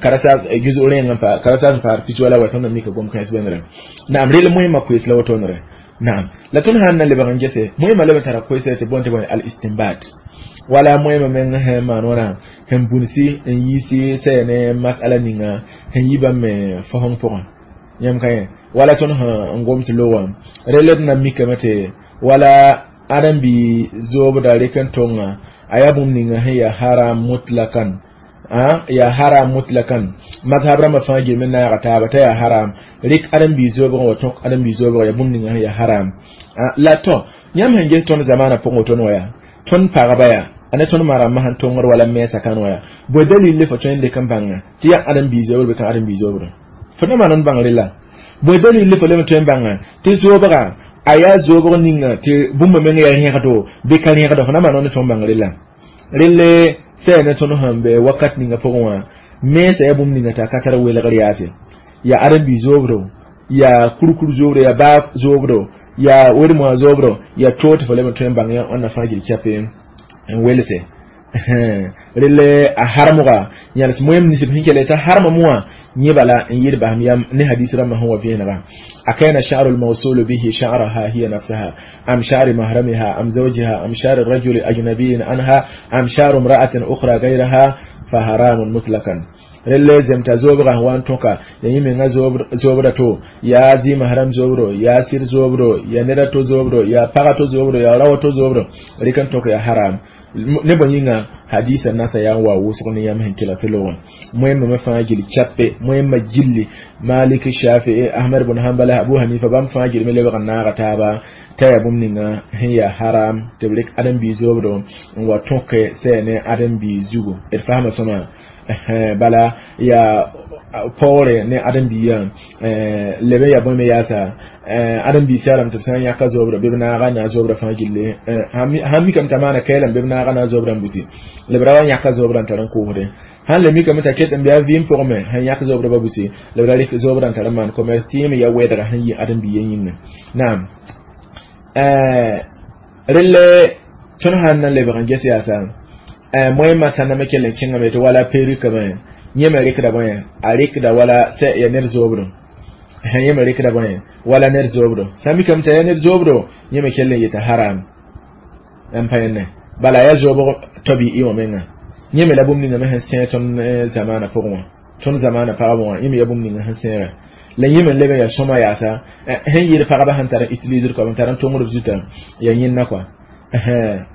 karasa juzu rẽeng n pa karasa sẽn paad pis wala wa, tõnd na mika gom kãens bẽndre. Naam, rel moẽmã koees la wotondre. Naam, la tõnd sãn na lebg n gese moẽmã leb n tara koeesa tɩ bõn tɩ bõe al istinbat wala moẽmã meng sẽn maan wãna sẽn bunsi n yiisi saya ne masala ninga sẽn yi bãmb me fosẽng pʋgẽ. Yãmb ka yẽ wala tõnd sẽn n gom tɩ logã rel d na mikame tɩ wala ãdem-bi zoobda rek n tonga a yaa bũmb ninga sẽn yaa haram mutlakan, yaa haram mutlakan. Mazhab rãmbã fãa gilme naaga taaba t'a yaa haram. Rɩk ãdem-bi zoobgẽ wa tõk ãdem-bi zoobga yaa bũmb ninga sẽn yaa haram. La tõ yãmb sẽn ges tõnd zamaana pʋgẽ woto wã yaa tõnd pagba yaa a ne tõnd ma-rãmbã sẽn tõngd wala mɛɛsa kãn wã yaa bõe dalil le fo tõe n dɩk n bãnga tɩ yaa ãdem-bi zoobr bɩ ka ãdem-bi zoobr fo na maan n bãng rela bõe dalil le fo leb n tõe n bãnga tɩ zoobga a yaa zoobg ninga tɩ bũmb meng yaa rẽgdo bɩ ka rẽgdo fo na maan n tõe n bãng rela relle sɛ ne tõnd sẽn be wakat ninga pʋgẽ wã mensã yaa bũmb ninga t'a ka tar welgr yaase yaa ãdem-bi zoobdo, yaa kurkur zoobdo, yaa baa zoobdo, yaa wedmã zoobdo, yaa toog tɩ fo leb n tõe n bãng yã wãnna fãa gil chape n welse relle a harmga yãls moem nins b sẽn kell t'a harmame wã yẽ bala n yɩl basem yam ne hadis rãmbã sẽn wa vẽenega. أكان شعر الموصول به شعرها هي نفسها أم شعر محرمها أم زوجها أم شعر الرجل أجنبي عنها أم شعر امرأة أخرى غيرها فحرام مطلقا. Relle zemta zobga wan tõka ya yẽ menga zobra to ya zɩ haram zobro, ya sɩd zobro, ya neda to zobro, ya paga to zobro, ya rawa to zobro, rɩk n tõk ya haram ne bõe yĩnga hadisa nasa yaa n wa wʋsg ne yãmb sẽn kelg tɩ logẽ moẽmã me fãa gil chape moẽmã gilli Malik, Shafii, Ahmad bn Hanbal, Abu Hanifa bãmb fãa gilme lebg n naaga taaba t'a yaa bũmb ninga sẽn yaa haram tɩ b rɩk ãdem-biig zobdo n wa tõke sɛ ne ãdem-biig zugu. D fasma sõma bala yaa paoore ne ãdem-biigã leb n yaa bõe me yaasa ãdem-biig segrame tɩ b sã n yãka zobro bɩ b naaga na zobra fãa gilli sãn mikame t'a maana kaelame bɩ b naaga na zobra n busi la b ra wa yãka zobra n tar n koosde sãn le mikame t'a ket n bɩ a vɩɩm pʋgẽ me sẽn yãk zobra ba busi la b ra rɩk zobra n tar n maan commerce tɩ yẽ me yaa wɛɛdga sẽn yi ãdem-biigã yĩnga. Naam, relle tõnd sãn na n lebg n ges yaasa moẽmã sãnna me kell n kẽngame tɩ wala perikame yẽ me rɩkda bõe a rɩkda wala sɛ ya ned zoobdo yẽ me rɩkda bõe wala ned zoobdo sã mikame t'a ya ned zoobdo yẽ me kell n yeta haram n pa yẽnne bala ya zoobg tabi'i wã menga yẽ me la bũmb ninga me sẽn sẽeg tõnd zamaana pʋgẽ wã tõnd zamaana pagb wã yẽ me ya bũmb ninga sẽn sẽega la yẽ me leb n yaa sõma yaasa sẽn yɩɩd pagba sẽn tar n utiliser kɔ n tar n tõngd b zuta ya yẽnna kɔa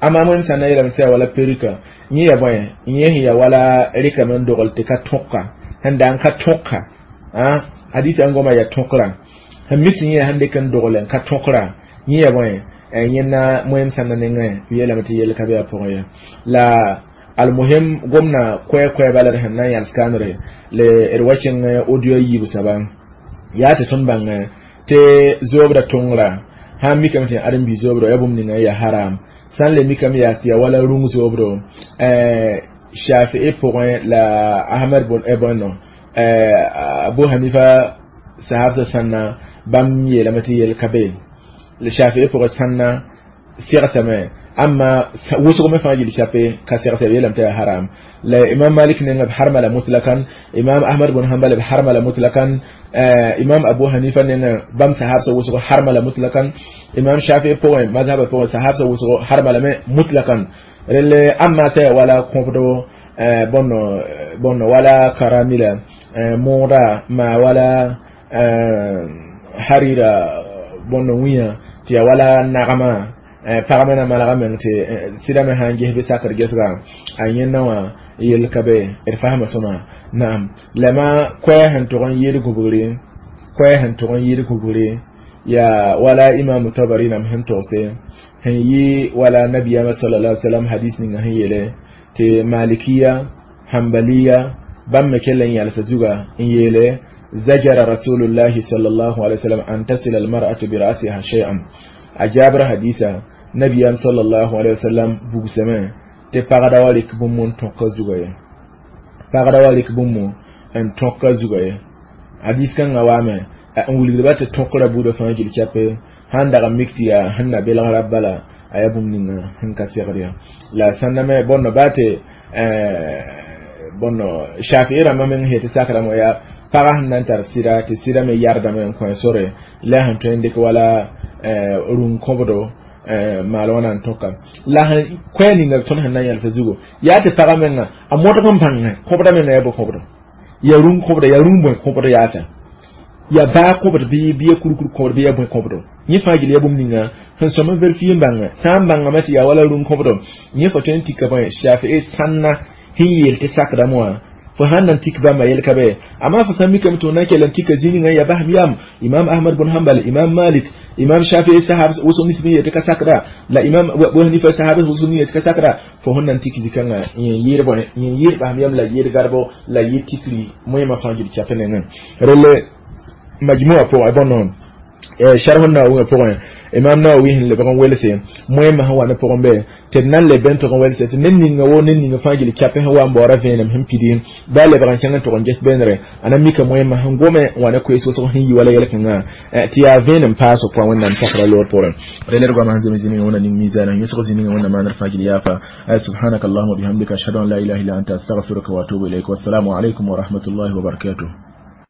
ama moem sã na yeelame tɩ yaa wala perika yẽ ya bõe yẽ sẽn yaa wala rɩkame n dogl tɩ ka tõka sẽn da n ka tõka hadisa n goma yaa tõkra sẽn mik tɩ yẽ yaa sẽn dɩk n dogl n ka tõkra yẽ ya bõe yẽnna moem sãn na nengẽ yeelame tɩ yell ka be a pʋgẽ ye la almuhim gomna koɛ-koɛ bala d sẽn na n yãls kãadre le d wa kẽng audio yiib soaba yaa tɩ tõnd bãng tɩ zoobda tõngra sãn mikame tɩ ãdem-bi zoobdo yaa bũmb ninga yaa haram sãn le mikame yaa tɩ yaa wala rũng zoobdo Shafi'i pʋgẽ la Ahmad bõeno Abu Hanifa sahabsã sãnna bãmb yeelame tɩ yel ka be la Shafi'i pʋgẽ sãnna segsame amma wʋsg me fãa gil chape ka segse b yeelame tɩ yaa haram la Imam Malik nenga b harma la mutlakan, Imam Ahmad bn Hanbal b harma la mutlakan, Imam Abu Hanifa nenga bãmb sahabsã wʋsg harma la mutlakan, Imam Shafi'i pʋgẽ mazhaba pʋgẽ sahabsã wʋsg harma lame mutlakan relle amma sã wala kõbdo bõnno bõnno wala karamila moogda ma wala harira bõnno wĩyã tɩ yaa wala nagmã pagã me na malga meng tɩ sɩda me sã n ges bɩ sakr gesga a yẽnna wã yell ka be. D fasma sõma. Naam, la ma koɛɛ sẽn tʋg n yɩɩd gubgre koɛɛ sẽn tʋg n yɩɩd gubgre yaa wala Imam Tabari nam sẽn togse sẽn yɩ wala nabiyama sallallahu alaihi wasallam hadis ninga sẽn yeele tɩ Malikiya Hambaliya bãmb me kell n yalsa zuga n yeele zajara Rasulullahi sallallahu alaihi wasallam an tasila almar'atu bi ra'siha shay'an a Jabr hadisa nabiyam sallallahu alaihi wasallam bugsame tɩ pagda wa rɩk bũmb n tõka zuga ye pagda wa rɩk bũmb n tõka zuga ye hadis kãngã waame n wilgdba tɩ tõkra buudã fãa gil chape. Sãn dag n mik tɩ yaa sẽn na belg rab bala a yaa bũmb ninga sẽn ka segd ya la sãnda me bõndo baa tɩ bõndo Shafi'i rãmbã meng sẽn yetɩ sakrame yaa pagã sẽn na n tar sɩda tɩ sɩda me yardame n kõ sore la sẽn tõe n dɩk wala rũm-kõbdo maal wãna n tõka la sẽn koɛɛ ninga tõnd sẽn na n yãls zugu yaa tɩ pagã menga a modg n bãngẽ kõbda menga yaa bõ-kõbdo yaa rũm kõbda yaa rũm bõe kõbd yaasa yaa baa kõbd bɩ ya kurkur kõbd bɩ yaa bõe kõbdo yẽ fãa gil yaa bũmb ninga sẽn sõm n verifie n bãnga sã n bãngame tɩ yaa wala rũm kõbdo yẽ fo tõe n tika bõe Shafi'i sãnna sẽn yeel tɩ sakdame wã fo sãn na n tik bãmba yel ka be amma fo sã n mikame tɩ f na n kell n tika zĩ ninga yaa basem yam Imam Ahmad bn Hanbal, Imam Malik, Imam Shafi'i sahab wʋsg nins bɩ n yet tɩ ka sakda la Imam Abu Hanifa sahab wʋsg nins yet tɩ ka sakda fo sẽn na n tik zĩ-kãngã yẽ yɩɩd bõe yẽ yɩɩd basem yam la yɩɩd garbo la yɩɩd tikri moẽmã fãa gil chape nengẽ relle majmua pʋgẽ bõn sharh Nawawi pʋgẽ Imam Nawawi sẽn lebg n welse moẽmã sẽn wa ne pʋgẽ be tɩ d na n leb n tʋg n welse tɩ ned ninga woo ned ninga fãa gil chape sẽn wa n baoora vẽenem sẽn pidi bɩ a lebg n kẽng n tʋg n ges bẽenere a na mika moẽmã sẽn gome n wa ne koees wʋsg sẽn yi wala yɛl-kãngã tɩ yaa vẽenem paasg pʋgã Wẽnnaam sakra loor pʋgẽ rel d goamã sẽn zems zĩ ninga Wẽnna ning mizana yõsg zĩ ninga Wẽnna maanr fãa gil yaafa. Subhanaka allahuma bihamdika, ashhadu an la ilaha illa anta, astaghfiruka wa atubu ilayk. Wassalamu alaykum wa rahmatullahi wa barakatuh.